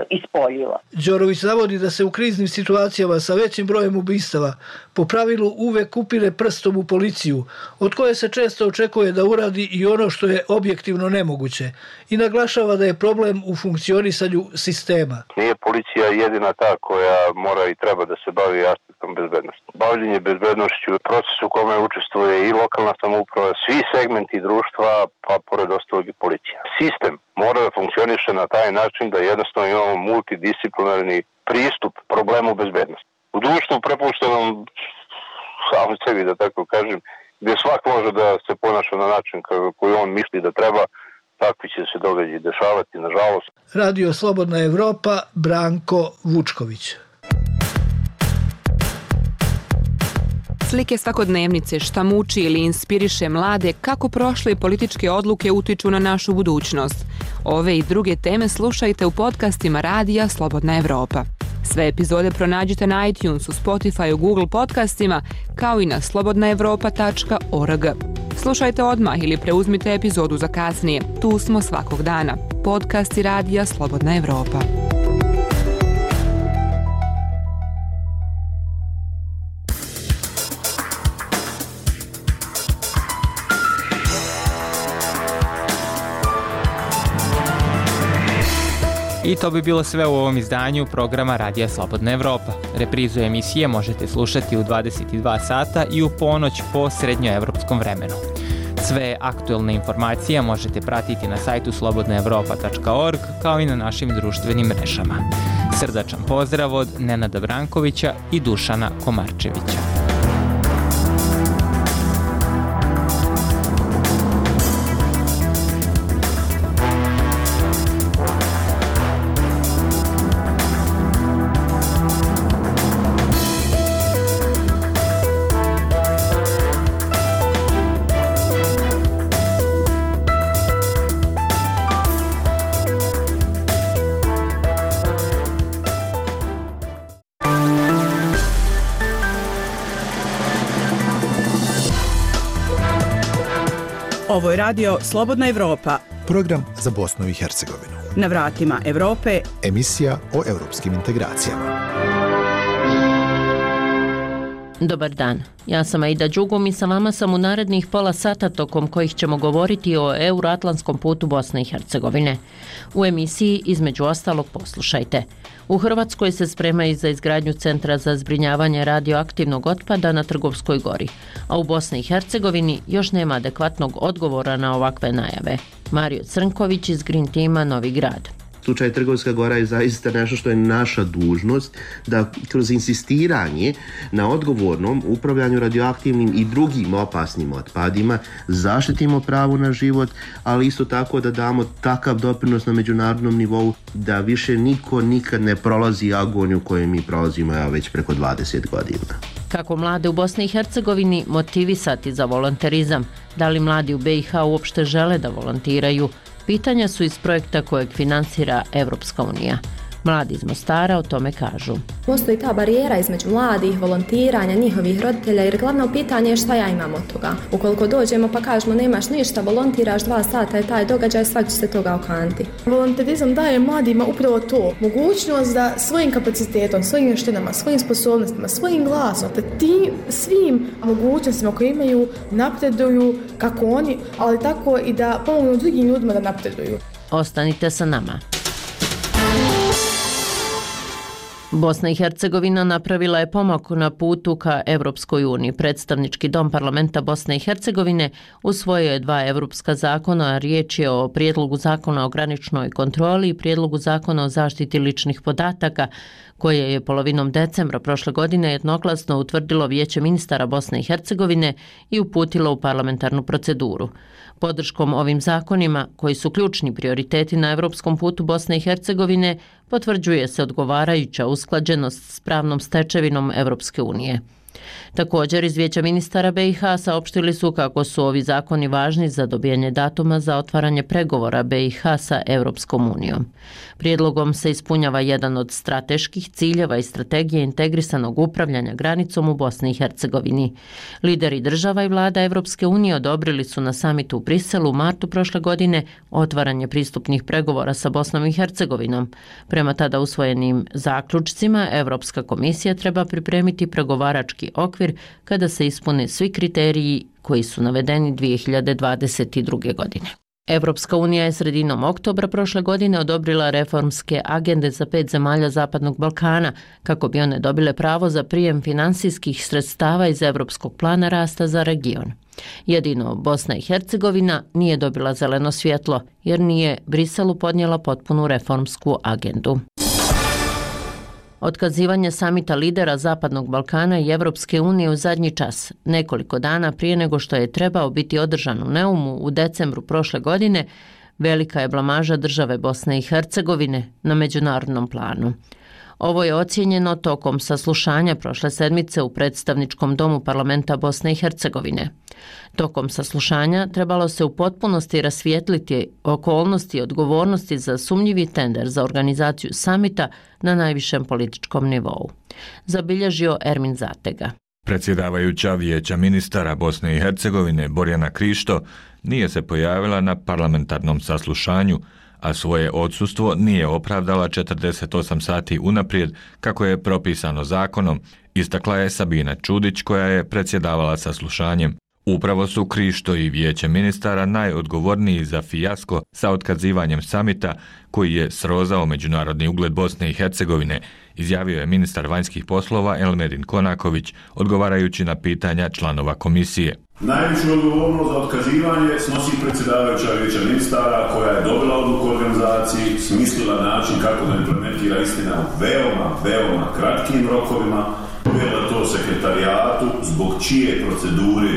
Speaker 22: ispoljila.
Speaker 17: Đorović navodi da se u kriznim situacijama sa većim brojem ubistava po pravilu uvek upire prstom u policiju, od koje se često očekuje da uradi i ono što je objektivno nemoguće, i naglašava da je problem u funkcionisanju sistema.
Speaker 21: Nije policija jedina ta koja mora i treba da se bavi aspektom bezbednosti. Bavljenje bezbednošću je proces u kome učestvuje i lokalna samouprava, svi segmenti društva, pa pored ostalog i policija. Sistem mora da funkcioniše na taj način da jednostavno imamo multidisciplinarni pristup problemu bezbednosti. U društvu prepuštenom samo sebi, da tako kažem, gdje svak može da se ponaša na način koji on misli da treba, takvi će se događaji dešavati, nažalost.
Speaker 17: Radio Slobodna Evropa, Branko Vučković.
Speaker 23: Slike svakodnevnice, šta muči ili inspiriše mlade, kako prošle političke odluke utiču na našu budućnost. Ove i druge teme slušajte u podcastima Radija Slobodna Evropa. Sve epizode pronađite na iTunesu, Spotifyu, Google podcastima, kao i na slobodna evropa tačka org. Slušajte odmah ili preuzmite epizodu za kasnije. Tu smo svakog dana. Podcasti Radija Slobodna Evropa.
Speaker 1: I to bi bilo sve u ovom izdanju programa Radija Slobodna Evropa. Reprizu emisije možete slušati u dvadeset dva sata i u ponoć po srednjoevropskom vremenu. Sve aktuelne informacije možete pratiti na sajtu slobodna evropa tačka org kao i na našim društvenim mrežama. Srdačan pozdrav od Nenada Brankovića i Dušana Komarčevića.
Speaker 2: Ovo je radio Slobodna Evropa.
Speaker 16: Program za Bosnu i Hercegovinu.
Speaker 2: Na vratima Evrope.
Speaker 16: Emisija o evropskim integracijama.
Speaker 5: Dobar dan, ja sam Aida Đugum i sa vama sam u narednih pola sata tokom kojih ćemo govoriti o euroatlantskom putu Bosne i Hercegovine. U emisiji između ostalog poslušajte. U Hrvatskoj se spremaju za izgradnju centra za zbrinjavanje radioaktivnog otpada na Trgovskoj gori, a u Bosni i Hercegovini još nema adekvatnog odgovora na ovakve najave. Mario Crnković iz Green Tima Novi Grad.
Speaker 7: Slučaj Trgovska gora je zaista nešto što je naša dužnost da kroz insistiranje na odgovornom upravljanju radioaktivnim i drugim opasnim otpadima zaštitimo pravo na život, ali isto tako da damo takav doprinos na međunarodnom nivou da više niko nikad ne prolazi agoniju koju mi prolazimo ja već preko dvadeset godina.
Speaker 5: Kako mlade u Bosni i Hercegovini motivisati za volonterizam? Da li mladi u be i ha uopšte žele da volontiraju? Pitanja su iz projekta kojeg finansira Evropska unija. Mladi iz Mostara o tome kažu.
Speaker 24: Postoji ta barijera između mladih, volontiranja, njihovih roditelja, jer glavno pitanje je šta ja imam od toga. Ukoliko dođemo pa kažemo nemaš ništa, volontiraš dva sata je taj događaj, svak će se toga okanti.
Speaker 25: Volonterizam daje mladima upravo to, mogućnost da svojim kapacitetom, svojim vještinama, svojim sposobnostima, svojim glasom, da tim svim mogućnostima koje imaju napreduju kako oni, ali tako i da pomognu drugim ljudima da napreduju.
Speaker 5: Ostanite sa nama. Bosna i Hercegovina napravila je pomak na putu ka Evropskoj uniji. Predstavnički dom parlamenta Bosne i Hercegovine usvojio je dva evropska zakona. Riječ je o prijedlogu zakona o graničnoj kontroli i prijedlogu zakona o zaštiti ličnih podataka, koje je polovinom decembra prošle godine jednoglasno utvrdilo Vijeće ministara Bosne i Hercegovine i uputilo u parlamentarnu proceduru. Podrškom ovim zakonima, koji su ključni prioriteti na evropskom putu Bosne i Hercegovine, potvrđuje se odgovarajuća usklađenost s pravnom stečevinom Evropske unije. Također, iz Vijeća ministara be i ha saopštili su kako su ovi zakoni važni za dobijanje datuma za otvaranje pregovora be i ha sa Evropskom unijom. Prijedlogom se ispunjava jedan od strateških ciljeva i strategije integrisanog upravljanja granicom u Bosni i Hercegovini. Lideri država i vlada Evropske unije odobrili su na samitu u Briselu u martu prošle godine otvaranje pristupnih pregovora sa Bosnom i Hercegovinom. Prema tada usvojenim zaključcima, Evropska komisija treba pripremiti pregovarački okvir kada se ispune svi kriteriji koji su navedeni dvije hiljade dvadeset druge. godine. Evropska unija je sredinom oktobra prošle godine odobrila reformske agende za pet zemalja Zapadnog Balkana kako bi one dobile pravo za prijem finansijskih sredstava iz Evropskog plana rasta za region. Jedino Bosna i Hercegovina nije dobila zeleno svjetlo jer nije Briselu podnijela potpunu reformsku agendu. Otkazivanje samita lidera Zapadnog Balkana i Evropske unije u zadnji čas, nekoliko dana prije nego što je trebao biti održan u Neumu u decembru prošle godine, velika je blamaža države Bosne i Hercegovine na međunarodnom planu. Ovo je ocijenjeno tokom saslušanja prošle sedmice u predstavničkom domu parlamenta Bosne i Hercegovine. Tokom saslušanja trebalo se u potpunosti rasvijetliti okolnosti i odgovornosti za sumnjivi tender za organizaciju samita na najvišem političkom nivou. Zabilježio Ermin Zatega.
Speaker 26: Predsjedavajuća Vijeća ministara Bosne i Hercegovine Borjana Krišto nije se pojavila na parlamentarnom saslušanju, a svoje odsustvo nije opravdala četrdeset osam sati unaprijed kako je propisano zakonom, istakla je Sabina Čudić koja je predsjedavala saslušanjem. Upravo su Krišto i Vijeće ministara najodgovorniji za fijasko sa otkazivanjem samita koji je srozao međunarodni ugled Bosne i Hercegovine, izjavio je ministar vanjskih poslova Elmedin Konaković odgovarajući na pitanja članova komisije.
Speaker 4: Najveću odgovornost za otkazivanje snosi predsjedavajuća vijeća ministara koja je dobila odluku o organizaciji, smislila način kako da implementira istina u veoma, veoma kratkim rokovima, povjerila to sekretarijatu zbog čije procedure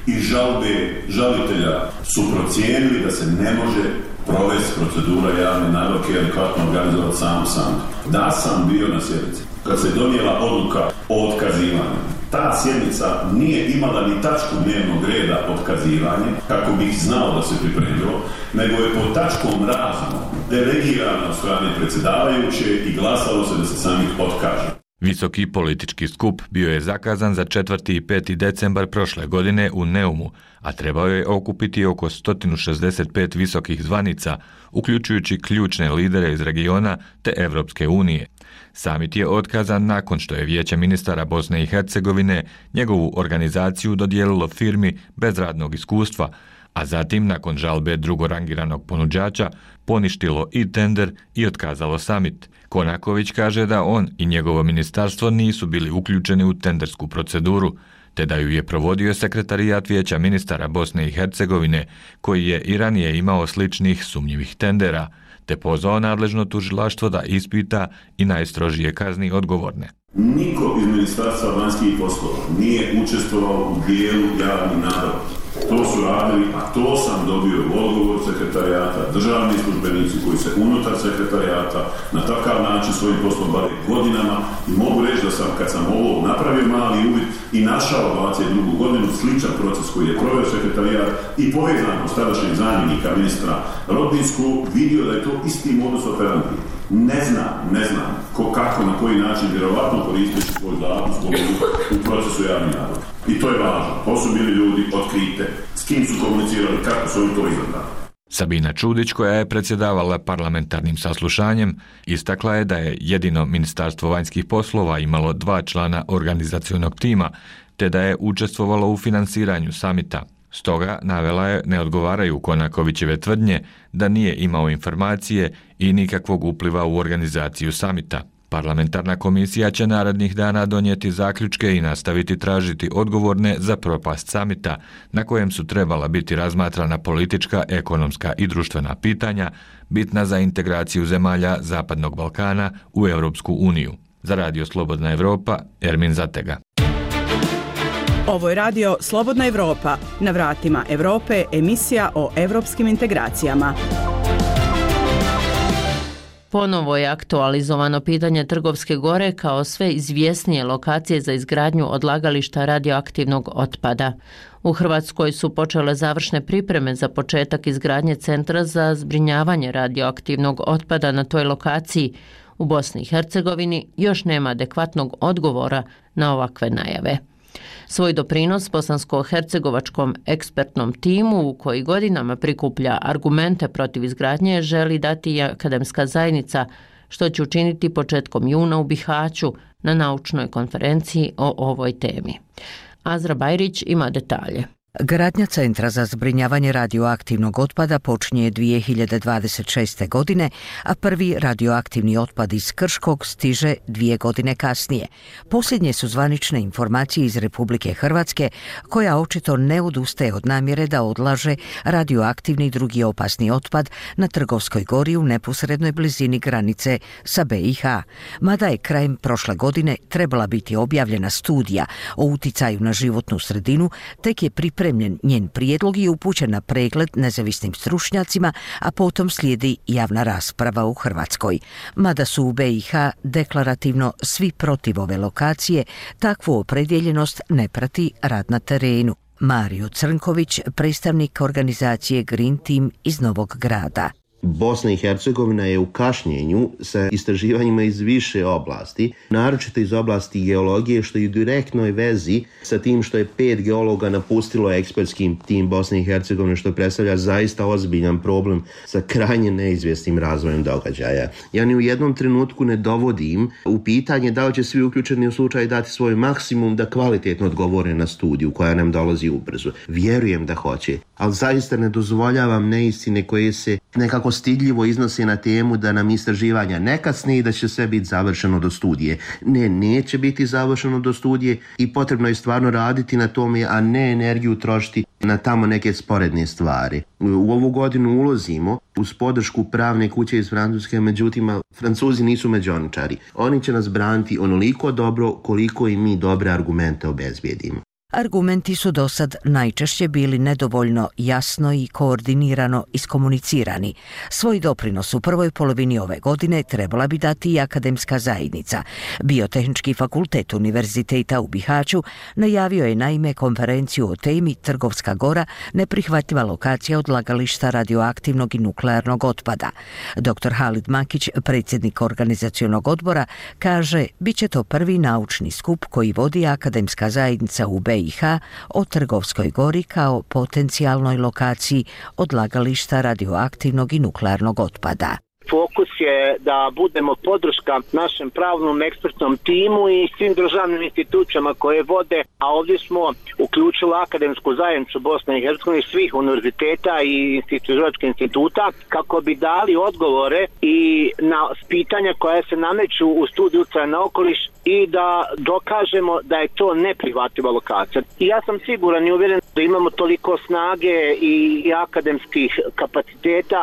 Speaker 4: i žalbe žalitelja su procijenili da se ne može provesti procedura javne nabavke i adekvatno organizovati sam sam. Da sam bio na sjednici kad se donijela odluka o otkazivanju. Ta sjednica nije imala ni tačku dnevnog reda otkazivanje, kako bih znao da se pripremilo, nego je pod tačkom razno delegirana od strane predsjedavajuće i glasalo se da se samih otkaže.
Speaker 26: Visoki politički skup bio je zakazan za četvrti i peti decembar prošle godine u Neumu, a trebao je okupiti oko sto šezdeset pet visokih zvanica, uključujući ključne lidere iz regiona te Evropske unije. Samit je otkazan nakon što je Vijeće ministara Bosne i Hercegovine njegovu organizaciju dodijelilo firmi bez radnog iskustva, a zatim nakon žalbe drugorangiranog ponuđača poništilo i tender i otkazalo samit. Konaković kaže da on i njegovo ministarstvo nisu bili uključeni u tendersku proceduru, te da ju je provodio sekretarijat Vijeća ministara Bosne i Hercegovine, koji je i ranije imao sličnih sumnjivih tendera, te pozvao nadležno tužilaštvo da ispita i najstrožije kazni odgovorne.
Speaker 4: Niko iz Ministarstva vanjskih poslova nije učestvovao u dijelu javnih nabavki. To su radili, a to sam dobio odgovor sekretarijata, državni službenici koji se unutar sekretarijata na takav način svojim poslom bave godinama i mogu reći da sam, kad sam ovo napravio mali uvid i našao dvadeset drugu godinu sličan proces koji je proveo sekretarijat i povezano s tadašnjeg zamjenika ministra Rodinsku, vidio da je to isti modus operandi. Ne znam, ne znam ko, kako, na koji način vjerovatno koristeći svoj status u procesu javnih nabavki. I to je važno. To su bili ljudi otkrite. S kim su komunicirali, kako su oni to izabrali.
Speaker 26: Sabina Čudić, koja je predsjedavala parlamentarnim saslušanjem, istakla je da je jedino Ministarstvo vanjskih poslova imalo dva člana organizacionog tima, te da je učestvovalo u finansiranju samita. Stoga navela je ne odgovaraju Konakovićeve tvrdnje da nije imao informacije i nikakvog upliva u organizaciju samita. Parlamentarna komisija će narednih dana donijeti zaključke i nastaviti tražiti odgovorne za propast samita, na kojem su trebala biti razmatrana politička, ekonomska i društvena pitanja, bitna za integraciju zemalja Zapadnog Balkana u Europsku uniju. Za Radio Slobodna Evropa, Ermin Zatega.
Speaker 2: Ovo je radio Slobodna Evropa, na vratima Evrope, emisija o evropskim integracijama.
Speaker 5: Ponovo je aktualizovano pitanje Trgovske gore kao sve izvjesnije lokacije za izgradnju odlagališta radioaktivnog otpada. U Hrvatskoj su počele završne pripreme za početak izgradnje centra za zbrinjavanje radioaktivnog otpada na toj lokaciji. U Bosni i Hercegovini još nema adekvatnog odgovora na ovakve najave. Svoj doprinos bosansko-hercegovačkom ekspertnom timu, u koji godinama prikuplja argumente protiv izgradnje, želi dati i akademska zajednica, što će učiniti početkom juna u Bihaću na naučnoj konferenciji o ovoj temi. Azra Bajrić ima detalje.
Speaker 8: Gradnja Centra za zbrinjavanje radioaktivnog otpada počinje dvije hiljade dvadeset šeste. godine, a prvi radioaktivni otpad iz Krškog stiže dvije godine kasnije. Posljednje su zvanične informacije iz Republike Hrvatske, koja očito ne odustaje od namjere da odlaže radioaktivni i drugi opasni otpad na Trgovskoj gori u neposrednoj blizini granice sa B i H. Mada je krajem prošle godine trebala biti objavljena studija o uticaju na životnu sredinu, tek je pripremljen njen prijedlog i upućen na pregled nezavisnim stručnjacima, a potom slijedi javna rasprava u Hrvatskoj. Mada su u B i H deklarativno svi protiv ove lokacije, takvu opredjeljenost ne prati rad na terenu. Mario Crnković, predstavnik organizacije Green Team iz Novog Grada.
Speaker 7: Bosna i Hercegovina je u kašnjenju sa istraživanjima iz više oblasti, naročito iz oblasti geologije, što je u direktnoj vezi sa tim što je pet geologa napustilo ekspertski tim Bosne i Hercegovine, što predstavlja zaista ozbiljan problem sa krajnje neizvjesnim razvojem događaja. Ja ni u jednom trenutku ne dovodim u pitanje da li će svi uključeni u slučaju dati svoj maksimum da kvalitetno odgovore na studiju koja nam dolazi ubrzo. Vjerujem da hoće, ali zaista ne dozvoljavam neistine koje se nekako postidljivo iznose na temu da nam istraživanja ne kasne i da će sve biti završeno do studije. Ne, neće biti završeno do studije i potrebno je stvarno raditi na tome, a ne energiju trošiti na tamo neke sporedne stvari. U ovu godinu ulazimo uz podršku pravne kuće iz Francuske, međutim, Francuzi nisu međoničari. Oni će nas braniti onoliko dobro koliko i mi dobre argumente obezbijedimo.
Speaker 8: Argumenti su dosad najčešće bili nedovoljno jasno i koordinirano iskomunicirani. Svoj doprinos u prvoj polovini ove godine trebala bi dati i akademska zajednica. Biotehnički fakultet Univerziteta u Bihaću najavio je naime konferenciju o temi Trgovska gora, neprihvatljiva lokacija odlagališta radioaktivnog i nuklearnog otpada. doktor Halid Makić, predsjednik organizacionog odbora, kaže bit će to prvi naučni skup koji vodi akademska zajednica u B i H o Trgovskoj gori kao potencijalnoj lokaciji odlagališta radioaktivnog i nuklearnog otpada.
Speaker 9: Fokus je da budemo podrška našem pravnom ekspertnom timu i svim državnim institucijama koje vode, a ovdje smo uključili akademsku zajednicu Bosne i Hercegovine, svih univerziteta i istraživačkih instituta kako bi dali odgovore i na pitanja koja se nameću u studiju utjecaja na okoliš i da dokažemo da je to neprihvatljiva lokacija. I ja sam siguran i uvjeren da imamo toliko snage i, i akademskih kapaciteta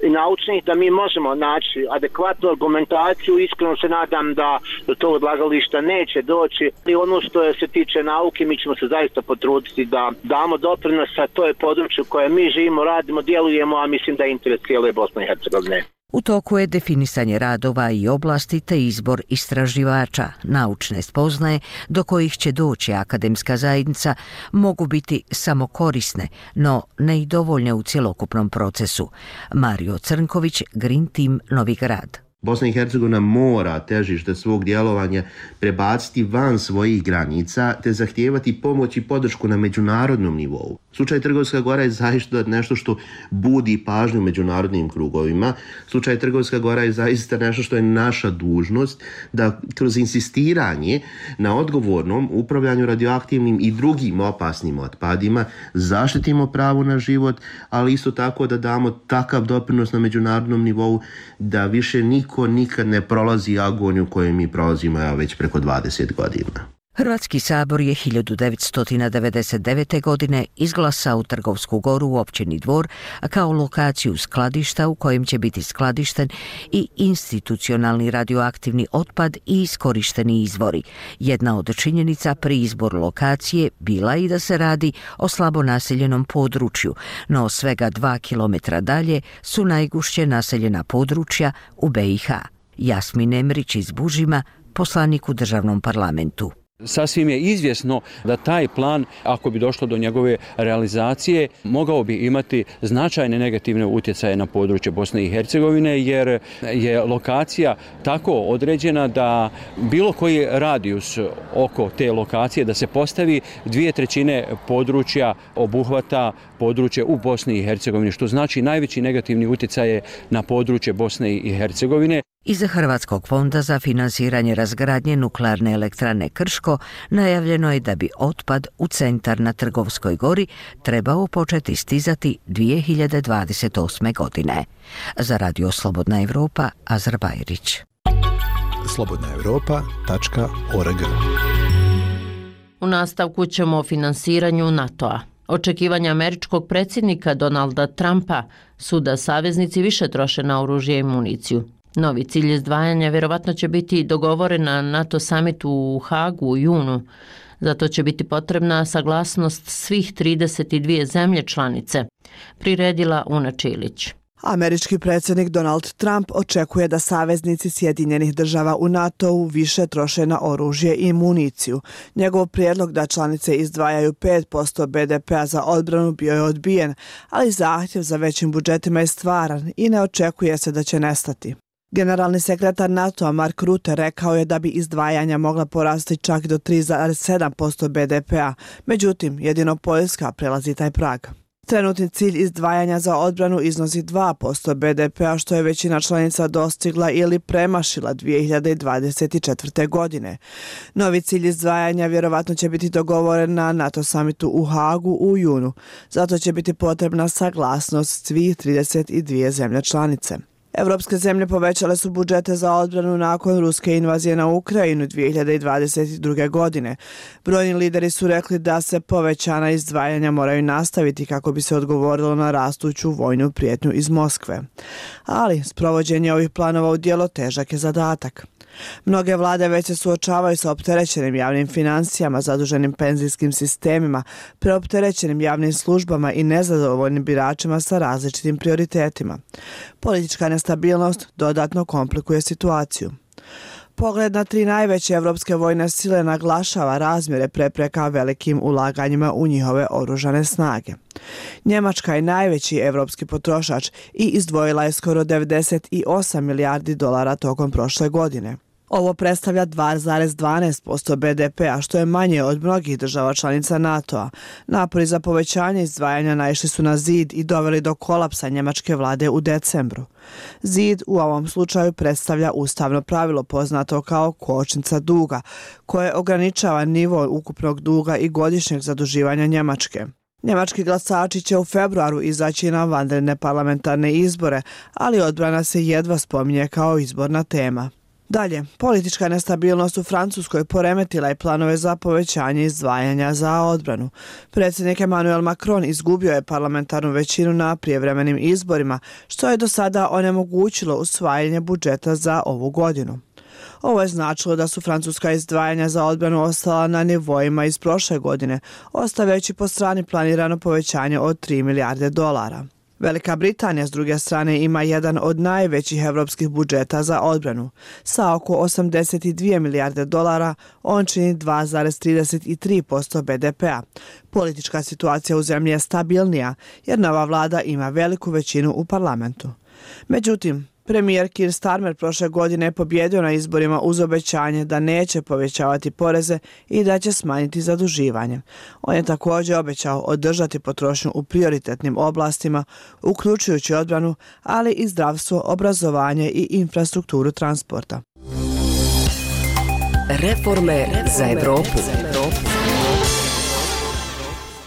Speaker 9: i naučnih da mi možemo naći adekvatnu argumentaciju. Iskreno se nadam da do tog odlagališta neće doći. I ono što se tiče nauke, mi ćemo se zaista potruditi da damo doprinos, a to je područje koje mi živimo, radimo, djelujemo, a mislim da je interes cijele Bosne i Hercegovine.
Speaker 8: U toku je definisanje radova i oblasti te izbor istraživača. Naučne spoznaje do kojih će doći akademska zajednica mogu biti samo korisne, no ne i dovoljne u cjelokupnom procesu. Mario Crnković, Green Team, Novi Grad.
Speaker 7: Bosna i Hercegovina mora težište svog djelovanja prebaciti van svojih granica te zahtijevati pomoć i podršku na međunarodnom nivou. Slučaj Trgovska gora je zaista nešto što budi pažnju u međunarodnim krugovima. Slučaj Trgovska gora je zaista nešto što je naša dužnost da kroz insistiranje na odgovornom upravljanju radioaktivnim i drugim opasnim otpadima zaštitimo pravo na život, ali isto tako da damo takav doprinos na međunarodnom nivou da više niko nikad ne prolazi agoniju koju mi prolazimo ja već preko dvadeset godina.
Speaker 8: Hrvatski sabor je hiljadu devetsto devedeset devete. godine izglasao Trgovsku goru u općini Dvor kao lokaciju skladišta u kojem će biti skladišten i institucionalni radioaktivni otpad i iskorišteni izvori. Jedna od činjenica pri izboru lokacije bila i da se radi o slabo naseljenom području, no svega dva kilometra dalje su najgušće naseljena područja u B i H. Jasmin Emrić iz Bužima, poslanik u državnom parlamentu.
Speaker 10: Sasvim je izvjesno da taj plan, ako bi došlo do njegove realizacije, mogao bi imati značajne negativne utjecaje na područje Bosne i Hercegovine, jer je lokacija tako određena da bilo koji radijus oko te lokacije da se postavi dvije trećine područja obuhvata područje u Bosni i Hercegovini, što znači najveći negativni utjecaje na područje Bosne i Hercegovine.
Speaker 8: Iz Hrvatskog fonda za finansiranje razgradnje nuklearne elektrane Krško najavljeno je da bi otpad u centar na Trgovskoj gori trebao početi stizati dvije hiljade dvadeset osme. godine. Za Radio Slobodna Evropa, Azar Bajrić.
Speaker 16: slobodna europa tačka org.
Speaker 5: U nastavku ćemo o finansiranju NATO-a. Očekivanja američkog predsjednika Donalda Trumpa su da saveznici više troše na oružje i municiju. Novi cilj izdvajanja vjerovatno će biti dogovoren na NATO samitu u Hagu u junu. Zato će biti potrebna saglasnost svih trideset dvije zemlje članice, priredila Una Čilić.
Speaker 11: Američki predsjednik Donald Trump očekuje da saveznici Sjedinjenih država u NATO-u više troše na oružje i municiju. Njegov prijedlog da članice izdvajaju pet posto be de pea za odbranu bio je odbijen, ali zahtjev za većim budžetima je stvaran i ne očekuje se da će nestati. Generalni sekretar NATO-a Mark Rutte rekao je da bi izdvajanja mogla porasti čak do tri zarez sedam posto be de pea, međutim jedino Poljska prelazi taj prag. Trenutni cilj izdvajanja za odbranu iznosi dva posto be de pea, što je većina članica dostigla ili premašila dvije hiljade dvadeset četvrte. godine. Novi cilj izdvajanja vjerovatno će biti dogovoren na NATO samitu u Hagu u junu. Zato će biti potrebna saglasnost svih trideset dvije zemlje članice. Evropske zemlje povećale su budžete za odbranu nakon ruske invazije na Ukrajinu dvije hiljade dvadeset druge. godine. Brojni lideri su rekli da se povećana izdvajanja moraju nastaviti kako bi se odgovorilo na rastuću vojnu prijetnju iz Moskve. Ali sprovođenje ovih planova u djelo težak je zadatak. Mnoge vlade već se suočavaju sa opterećenim javnim financijama, zaduženim penzijskim sistemima, preopterećenim javnim službama i nezadovoljnim biračima sa različitim prioritetima. Politička nestabilnost dodatno komplikuje situaciju. Pogled na tri najveće evropske vojne sile naglašava razmjere prepreka velikim ulaganjima u njihove oružane snage. Njemačka je najveći evropski potrošač i izdvojila je skoro devedeset osam milijardi dolara tokom prošle godine. Ovo predstavlja dva zarez dvanaest posto be de pea, što je manje od mnogih država članica NATO-a. Napori za povećanje izdvajanja naišli su na zid i doveli do kolapsa njemačke vlade u decembru. Zid u ovom slučaju predstavlja ustavno pravilo poznato kao kočnica duga, koje ograničava nivo ukupnog duga i godišnjeg zaduživanja Njemačke. Njemački glasači će u februaru izaći na vanredne parlamentarne izbore, ali odbrana se jedva spominje kao izborna tema. Dalje, politička nestabilnost u Francuskoj poremetila je planove za povećanje izdvajanja za odbranu. Predsjednik Emmanuel Macron izgubio je parlamentarnu većinu na prijevremenim izborima, što je do sada onemogućilo usvajanje budžeta za ovu godinu. Ovo je značilo da su francuska izdvajanja za odbranu ostala na nivoima iz prošle godine, ostavljajući po strani planirano povećanje od tri milijarde dolara. Velika Britanija, s druge strane, ima jedan od najvećih evropskih budžeta za odbranu. Sa oko osamdeset dvije milijarde dolara, on čini dva zarez trideset tri posto be de pea. Politička situacija u zemlji je stabilnija, jer nova vlada ima veliku većinu u parlamentu. Međutim, premijer Keir Starmer prošle godine je pobjedio na izborima uz obećanje da neće povećavati poreze i da će smanjiti zaduživanje. On je također obećao održati potrošnju u prioritetnim oblastima, uključujući odbranu, ali i zdravstvo, obrazovanje i infrastrukturu transporta.
Speaker 12: Reforme za Evropu.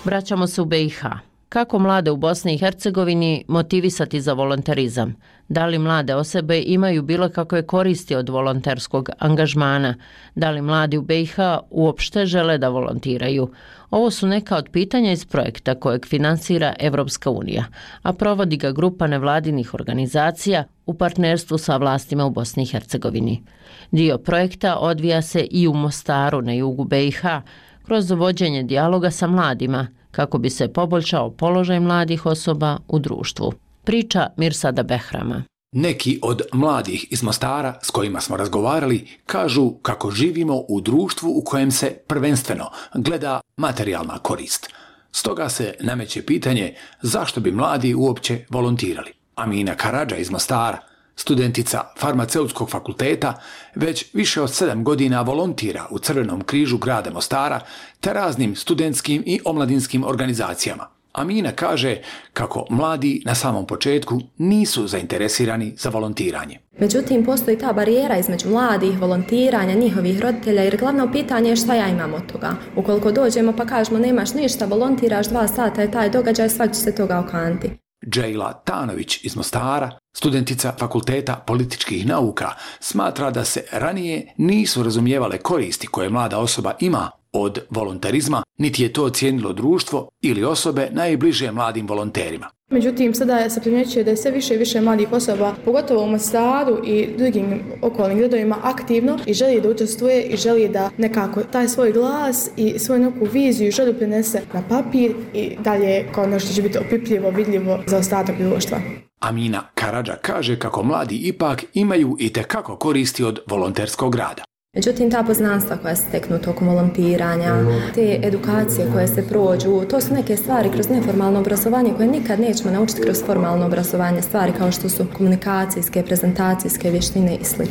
Speaker 5: Vraćamo se u be i ha. Kako mlade u Bosni i Hercegovini motivisati za volonterizam? Da li mlade osobe imaju bilo kakve koristi od volonterskog angažmana? Da li mladi u be i ha uopšte žele da volontiraju? Ovo su neka od pitanja iz projekta kojeg finansira Evropska unija, a provodi ga grupa nevladinih organizacija u partnerstvu sa vlastima u Bosni i Hercegovini. Dio projekta odvija se i u Mostaru na jugu be i ha kroz vođenje dijaloga sa mladima, kako bi se poboljšao položaj mladih osoba u društvu. Priča Mirsada Behrama.
Speaker 13: Neki od mladih iz Mostara s kojima smo razgovarali kažu kako živimo u društvu u kojem se prvenstveno gleda materijalna korist. Stoga se nameće pitanje zašto bi mladi uopće volontirali. Amina Karadža iz Mostara, studentica farmaceutskog fakulteta, već više od sedam godina volontira u Crvenom križu grada Mostara te raznim studentskim i omladinskim organizacijama. Amina kaže kako mladi na samom početku nisu zainteresirani za volontiranje.
Speaker 24: Međutim, postoji ta barijera između mladih, volontiranja, njihovih roditelja, jer glavno pitanje je šta ja imam od toga. Ukoliko dođemo pa kažemo nemaš ništa, volontiraš dva sata je taj događaj, svak će se toga okanti.
Speaker 13: Džejla Tanović iz Mostara, studentica Fakulteta političkih nauka, smatra da se ranije nisu razumijevale koristi koje mlada osoba ima od volonterizma, niti je to cijenilo društvo ili osobe najbliže mladim volonterima.
Speaker 25: Međutim, sada se primjećuje da je sve više i više mladih osoba, pogotovo u Mostaru i drugim okolnim gradovima, aktivno i želi da učestvuje i želi da nekako taj svoj glas i svoju neku viziju želi prenese na papir i dalje kao nešto će biti opipljivo, vidljivo za ostatak društva.
Speaker 13: Amina Karadža kaže kako mladi ipak imaju i tekako koristi od volonterskog rada.
Speaker 24: Međutim, ta poznanstva koja se steknu tokom volontiranja, te edukacije koje se prođu, to su neke stvari kroz neformalno obrazovanje koje nikad nećemo naučiti kroz formalno obrazovanje, stvari kao što su komunikacijske, prezentacijske vještine i sl.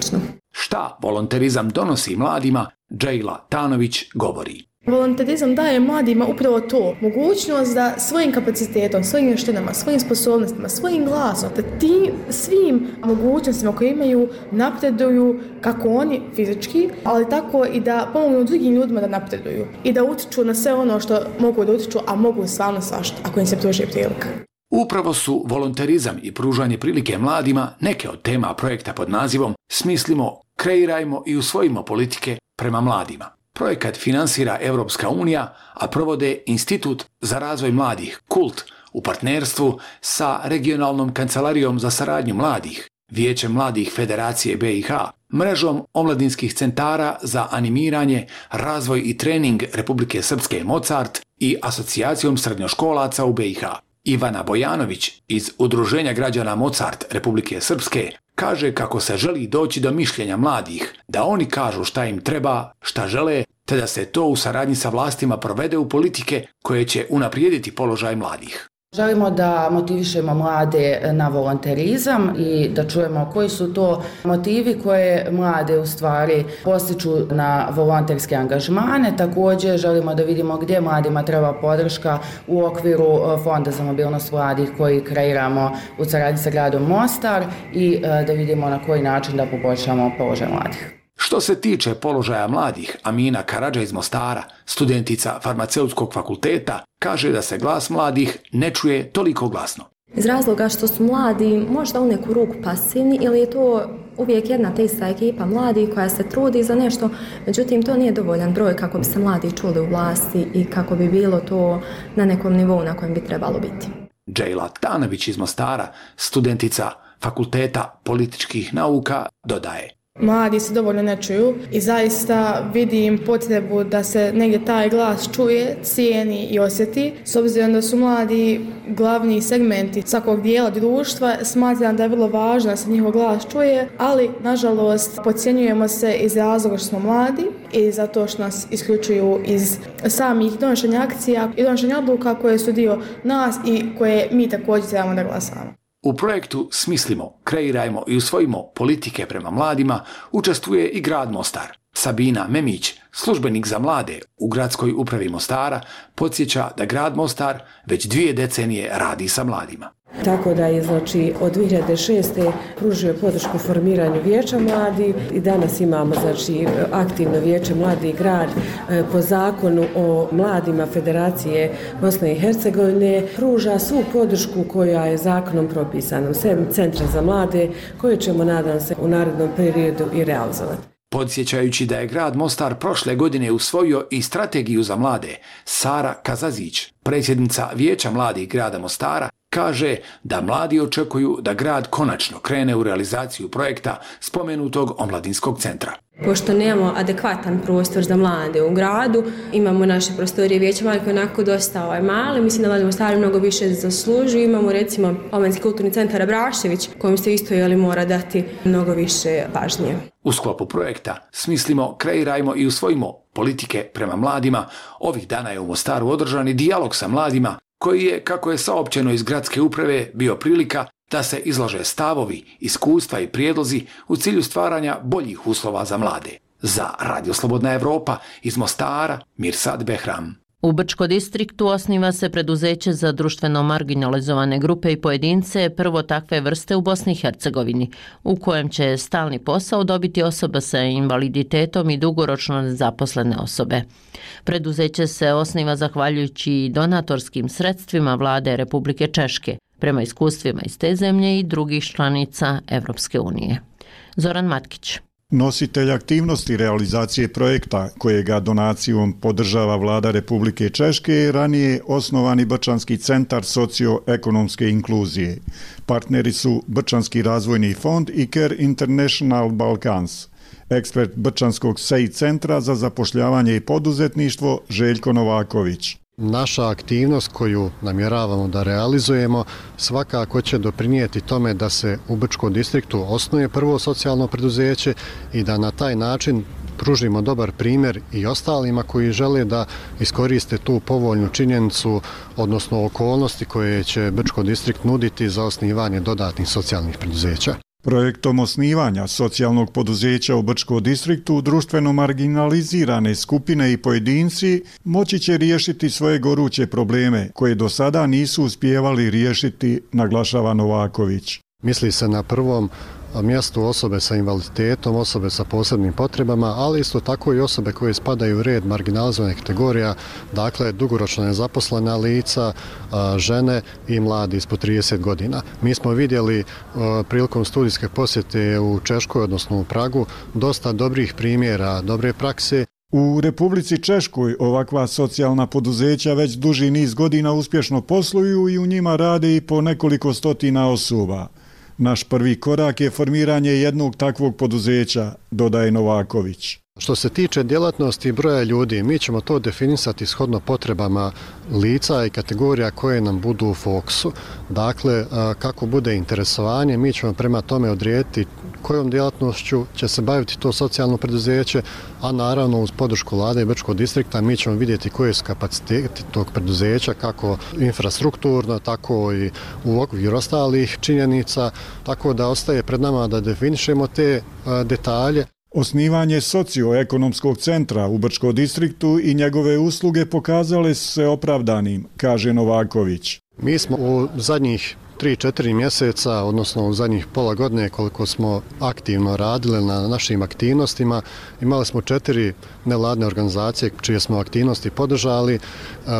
Speaker 13: Šta volonterizam donosi mladima, Džejla Tanović govori.
Speaker 25: Volonterizam daje mladima upravo to, mogućnost da svojim kapacitetom, svojim vještinama, svojim sposobnostima, svojim glasom, da tim svim mogućnostima koje imaju napreduju kako oni fizički, ali tako i da pomognu drugim ljudima da napreduju i da utiču na sve ono što mogu da utiču, a mogu stvarno svašta ako im se pruži prilika.
Speaker 13: Upravo su volonterizam i pružanje prilike mladima neke od tema projekta pod nazivom Smislimo, kreirajmo i usvojimo politike prema mladima. Projekat finansira Evropska unija, a provode Institut za razvoj mladih Kult u partnerstvu sa Regionalnom kancelarijom za saradnju mladih, Vijećem mladih Federacije B i H, mrežom omladinskih centara za animiranje, razvoj i trening Republike Srpske Mozart i Asocijacijom srednjoškolaca u B i H. Ivana Bojanović iz Udruženja građana Mozart Republike Srpske kaže kako se želi doći do mišljenja mladih, da oni kažu šta im treba, šta žele, te da se to u saradnji sa vlastima provede u politike koje će unaprijediti položaj mladih.
Speaker 3: Želimo da motivišemo mlade na volonterizam i da čujemo koji su to motivi koje mlade u stvari postiču na volonterske angažmane. Također želimo da vidimo gdje mladima treba podrška u okviru Fonda za mobilnost mladih koji kreiramo u saradnji sa gradom Mostar i da vidimo na koji način da poboljšamo položaj mladih.
Speaker 13: Što se tiče položaja mladih, Amina Karadža iz Mostara, studentica farmaceutskog fakulteta, kaže da se glas mladih ne čuje toliko glasno.
Speaker 24: Iz razloga što su mladi možda u neku ruku pasivni ili je to uvijek jedna te ista ekipa mladih koja se trudi za nešto, međutim to nije dovoljan broj kako bi se mladi čuli u vlasti i kako bi bilo to na nekom nivou na kojem bi trebalo biti.
Speaker 13: Džejla Tanović iz Mostara, studentica fakulteta političkih nauka, dodaje.
Speaker 25: Mladi se dovoljno ne čuju i zaista vidim potrebu da se negdje taj glas čuje, cijeni i osjeti. S obzirom da su mladi glavni segmenti svakog dijela društva, smatram da je vrlo važno da se njihov glas čuje, ali nažalost podcjenjujemo se iz razloga što smo mladi i zato što nas isključuju iz samih donošenja akcija i donošenja odluka koje su dio nas i koje mi također trebamo da glasamo.
Speaker 13: U projektu Smislimo, kreirajmo i usvojimo politike prema mladima učestvuje i grad Mostar. Sabina Memić, službenik za mlade u gradskoj upravi Mostara, podsjeća da grad Mostar već dvije decenije radi sa mladima.
Speaker 6: Tako da je znači od dvije hiljade šeste. pružio podršku formiranju vijeća mladih i danas imamo znači aktivno vijeće mladih grad po zakonu o mladima Federacije Bosne i Hercegovine pruža svu podršku koja je zakonom propisana, sem centra za mlade koje ćemo nadam se u narednom periodu i realizovati.
Speaker 13: Podsjećajući da je grad Mostar prošle godine usvojio i strategiju za mlade, Sara Kazazić, predsjednica Vijeća mladih grada Mostara, kaže da mladi očekuju da grad konačno krene u realizaciju projekta spomenutog omladinskog centra.
Speaker 24: Pošto nemamo adekvatan prostor za mlade u gradu, imamo naše prostorije Vijeća mladih koji je onako dosta ovaj, mali, mislim da mladi Mostari mnogo više zaslužuju. Imamo recimo Omladinski kulturni centar Abrašević kojim se isto jeli mora dati mnogo više pažnje.
Speaker 13: U sklopu projekta Smislimo, kreirajmo i usvojimo politike prema mladima. Ovih dana je u Mostaru održan i dijalog sa mladima koji je, kako je saopćeno iz gradske uprave, bio prilika da se izlože stavovi, iskustva i prijedlozi u cilju stvaranja boljih uslova za mlade. Za Radio Slobodna Evropa iz Mostara, Mirsad Behram.
Speaker 5: U Brčko distriktu osniva se preduzeće za društveno marginalizovane grupe i pojedince prvo takve vrste u Bosni i Hercegovini, u kojem će stalni posao dobiti osoba sa invaliditetom i dugoročno nezaposlene osobe. Preduzeće se osniva zahvaljujući donatorskim sredstvima vlade Republike Češke, prema iskustvima iz te zemlje i drugih članica Evropske unije. Zoran Matkić.
Speaker 14: Nositelj aktivnosti realizacije projekta kojega donacijom podržava vlada Republike Češke je ranije osnovani Brčanski centar socioekonomske inkluzije. Partneri su Brčanski razvojni fond i Care International Balkans. Ekspert Brčanskog S E I centra za zapošljavanje i poduzetništvo Željko Novaković.
Speaker 15: Naša aktivnost koju namjeravamo da realizujemo svakako će doprinijeti tome da se u Brčkom distriktu osnuje prvo socijalno preduzeće i da na taj način pružimo dobar primjer i ostalima koji žele da iskoriste tu povoljnu činjenicu, odnosno okolnosti koje će Brčko distrikt nuditi za osnivanje dodatnih socijalnih preduzeća.
Speaker 14: Projektom osnivanja socijalnog poduzeća u Brčko distriktu društveno marginalizirane skupine i pojedinci moći će riješiti svoje goruće probleme koje do sada nisu uspijevali riješiti, naglašava Novaković.
Speaker 15: Misli se na prvom mjestu osobe sa invaliditetom, osobe sa posebnim potrebama, ali isto tako i osobe koje spadaju u red marginalizovanih kategorija, dakle dugoročno nezaposlena lica, žene i mladi ispod trideset godina. Mi smo vidjeli prilikom studijske posjete u Češkoj, odnosno u Pragu, dosta dobrih primjera, dobre prakse.
Speaker 14: U Republici Češkoj ovakva socijalna poduzeća već duži niz godina uspješno posluju i u njima rade i po nekoliko stotina osoba. Naš prvi korak je formiranje jednog takvog poduzeća, dodaje Novaković.
Speaker 15: Što se tiče djelatnosti i broja ljudi, mi ćemo to definisati shodno potrebama lica i kategorija koje nam budu u fokusu. Dakle, kako bude interesovanje, mi ćemo prema tome odrediti kojom djelatnošću će se baviti to socijalno preduzeće, a naravno uz podršku Vlade i Brčkog distrikta mi ćemo vidjeti koje su kapaciteti tog preduzeća, kako infrastrukturno, tako i u okviru ostalih činjenica, tako da ostaje pred nama da definišemo te detalje.
Speaker 14: Osnivanje socioekonomskog centra u Brčkom distriktu i njegove usluge pokazale su se opravdanim, kaže Novaković.
Speaker 15: Mi smo u zadnjih tri četiri mjeseca, odnosno u zadnjih pola godine koliko smo aktivno radili na našim aktivnostima, imali smo četiri nevladne organizacije čije smo aktivnosti podržali.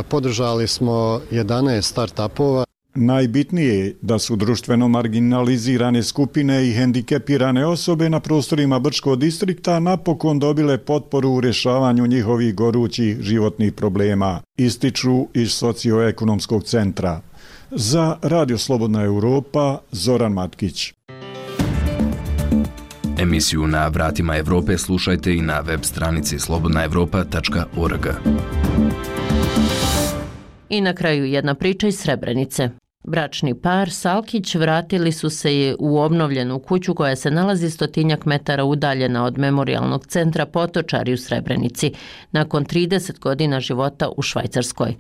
Speaker 15: Podržali smo jedanaest start-upova.
Speaker 14: Najbitnije je da su društveno marginalizirane skupine i hendikepirane osobe na prostorima Brčkog distrikta napokon dobile potporu u rješavanju njihovih gorućih životnih problema, ističu iz socioekonomskog centra. Za Radio Slobodna Europa, Zoran Matkić.
Speaker 17: Emisiju Na vratima Evrope slušajte i na web stranici slobodna europa tačka org.
Speaker 5: I na kraju jedna priča iz Srebrenice. Bračni par Salkić vratili su se u obnovljenu kuću koja se nalazi stotinjak metara udaljena od memorijalnog centra Potočari u Srebrenici, nakon trideset godina života u Švajcarskoj.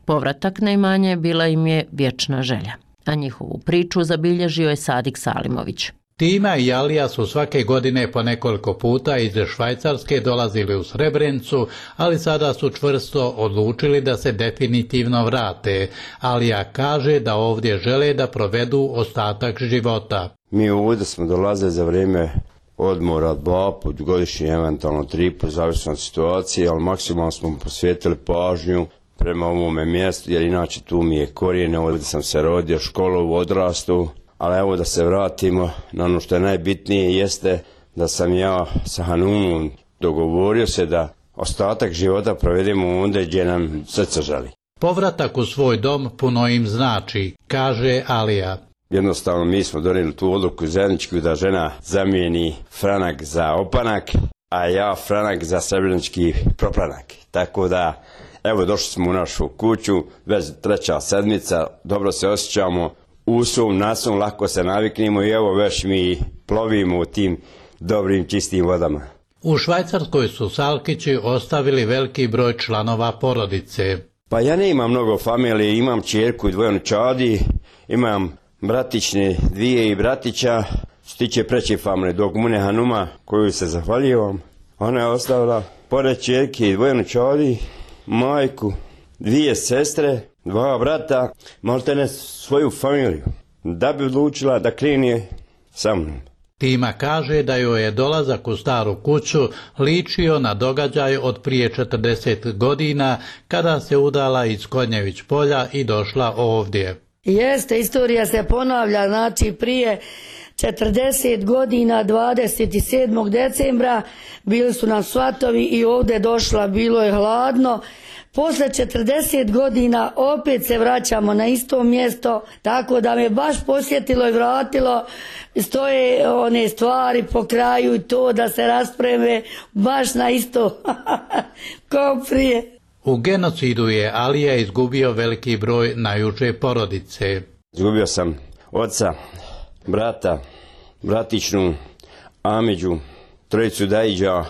Speaker 5: Povratak na imanje bila im je vječna želja, a njihovu priču zabilježio je Sadik Salimović.
Speaker 18: Tima i Alija su svake godine po nekoliko puta iz Švajcarske dolazili u Srebrenicu, ali sada su čvrsto odlučili da se definitivno vrate. Alija kaže da ovdje žele da provedu ostatak života.
Speaker 19: Mi ovdje smo dolazili za vrijeme odmora dva put godišnje, eventualno tri put, zavisno od situacije, ali maksimalno smo posvetili pažnju prema ovome mjestu, jer inače tu mi je korijene, ovdje sam se rodio, školu, odrastu. Ali evo da se vratimo na ono što je najbitnije, jeste da sam ja sa Hanumom dogovorio se da ostatak života provedemo ondje gdje nam srce želi.
Speaker 18: Povratak u svoj dom puno im znači, kaže Alija.
Speaker 19: Jednostavno mi smo donijeli tu odluku zajedničku da žena zamijeni franak za opanak, a ja franak za srebrenički proplanak. Tako da, evo došli smo u našu kuću, već treća sedmica, dobro se osjećamo. U svom nasom lako se naviknemo i evo već mi plovimo u tim dobrim čistim vodama.
Speaker 18: U Švajcarskoj su Salkići ostavili veliki broj članova porodice.
Speaker 19: Pa ja ne imam mnogo familije, imam čerku i dvoje unučadi, imam bratične dvije i bratića, što tiče preće familije, dok mune Hanuma, koju se zahvaljivam, ona je ostavila pored čerke i dvoje unučadi, majku, dvije sestre, dva brata, možete ne svoju familiju, da bi odlučila da krene sa mnom.
Speaker 18: Tima kaže da joj je dolazak u staru kuću ličio na događaj od prije četrdeset godina, kada se udala iz Konjević polja i došla ovdje.
Speaker 20: Jeste, istorija se ponavlja, znači prije četrdeset godina, dvadeset sedmog decembra, bili su nam svatovi i ovdje došla, bilo je hladno. Posle četrdeset godina opet se vraćamo na isto mjesto, tako da me baš posjetilo i vratilo, stoje one stvari po kraju i to da se raspreme baš na isto kao prije.
Speaker 18: U genocidu je Alija izgubio veliki broj najuže porodice.
Speaker 19: Izgubio sam oca, brata, bratičnu, Amidžu, trojicu Dajiđa,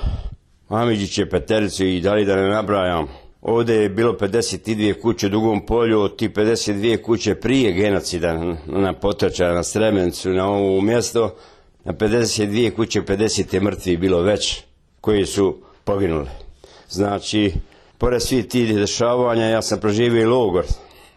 Speaker 19: Amidžiće, petericu i dalje da ne nabrajam. Ovdje je bilo pedeset dvije kuće u Dugom polju, od ti pedeset dvije kuće prije genocida na Potočara, na Srebrenicu, na ovo mjesto, na pedeset dvije kuće, pedeset je mrtvi bilo već koji su poginuli. Znači, pored svih tih dešavanja, ja sam proživio i logor,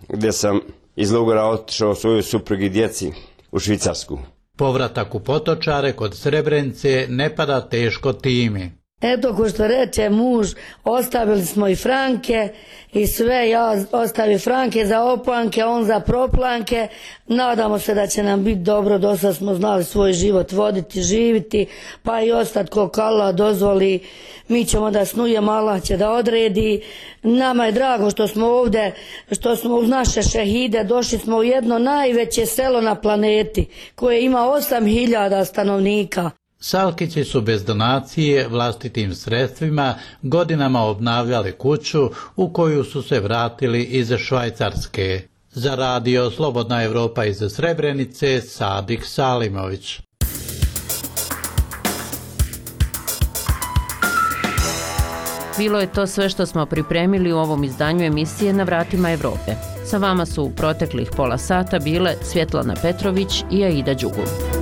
Speaker 19: gdje sam iz logora otišao svoju suprugu i djeci u Švicarsku.
Speaker 18: Povratak u Potočare kod Srebrenice ne pada teško timi.
Speaker 20: Eto, ko što reče muž, ostavili smo i franke i sve, ja ostavi franke za oplanke, on za proplanke. Nadamo se da će nam biti dobro, dosta smo znali svoj život voditi, živiti, pa i ostati koliko Allah dozvoli. Mi ćemo da snujemo, Allah će da odredi. Nama je drago što smo ovdje, što smo uz naše šehide, došli smo u jedno najveće selo na planeti koje ima osam hiljada stanovnika.
Speaker 18: Salkići su bez donacije vlastitim sredstvima godinama obnavljali kuću u koju su se vratili iz Švajcarske. Za radio Slobodna Evropa iz Srebrenice, Sadik Salimović.
Speaker 5: Bilo je to sve što smo pripremili u ovom izdanju emisije Na vratima Evrope. Sa vama su u proteklih pola sata bile Svjetlana Petrović i Aida Đugul.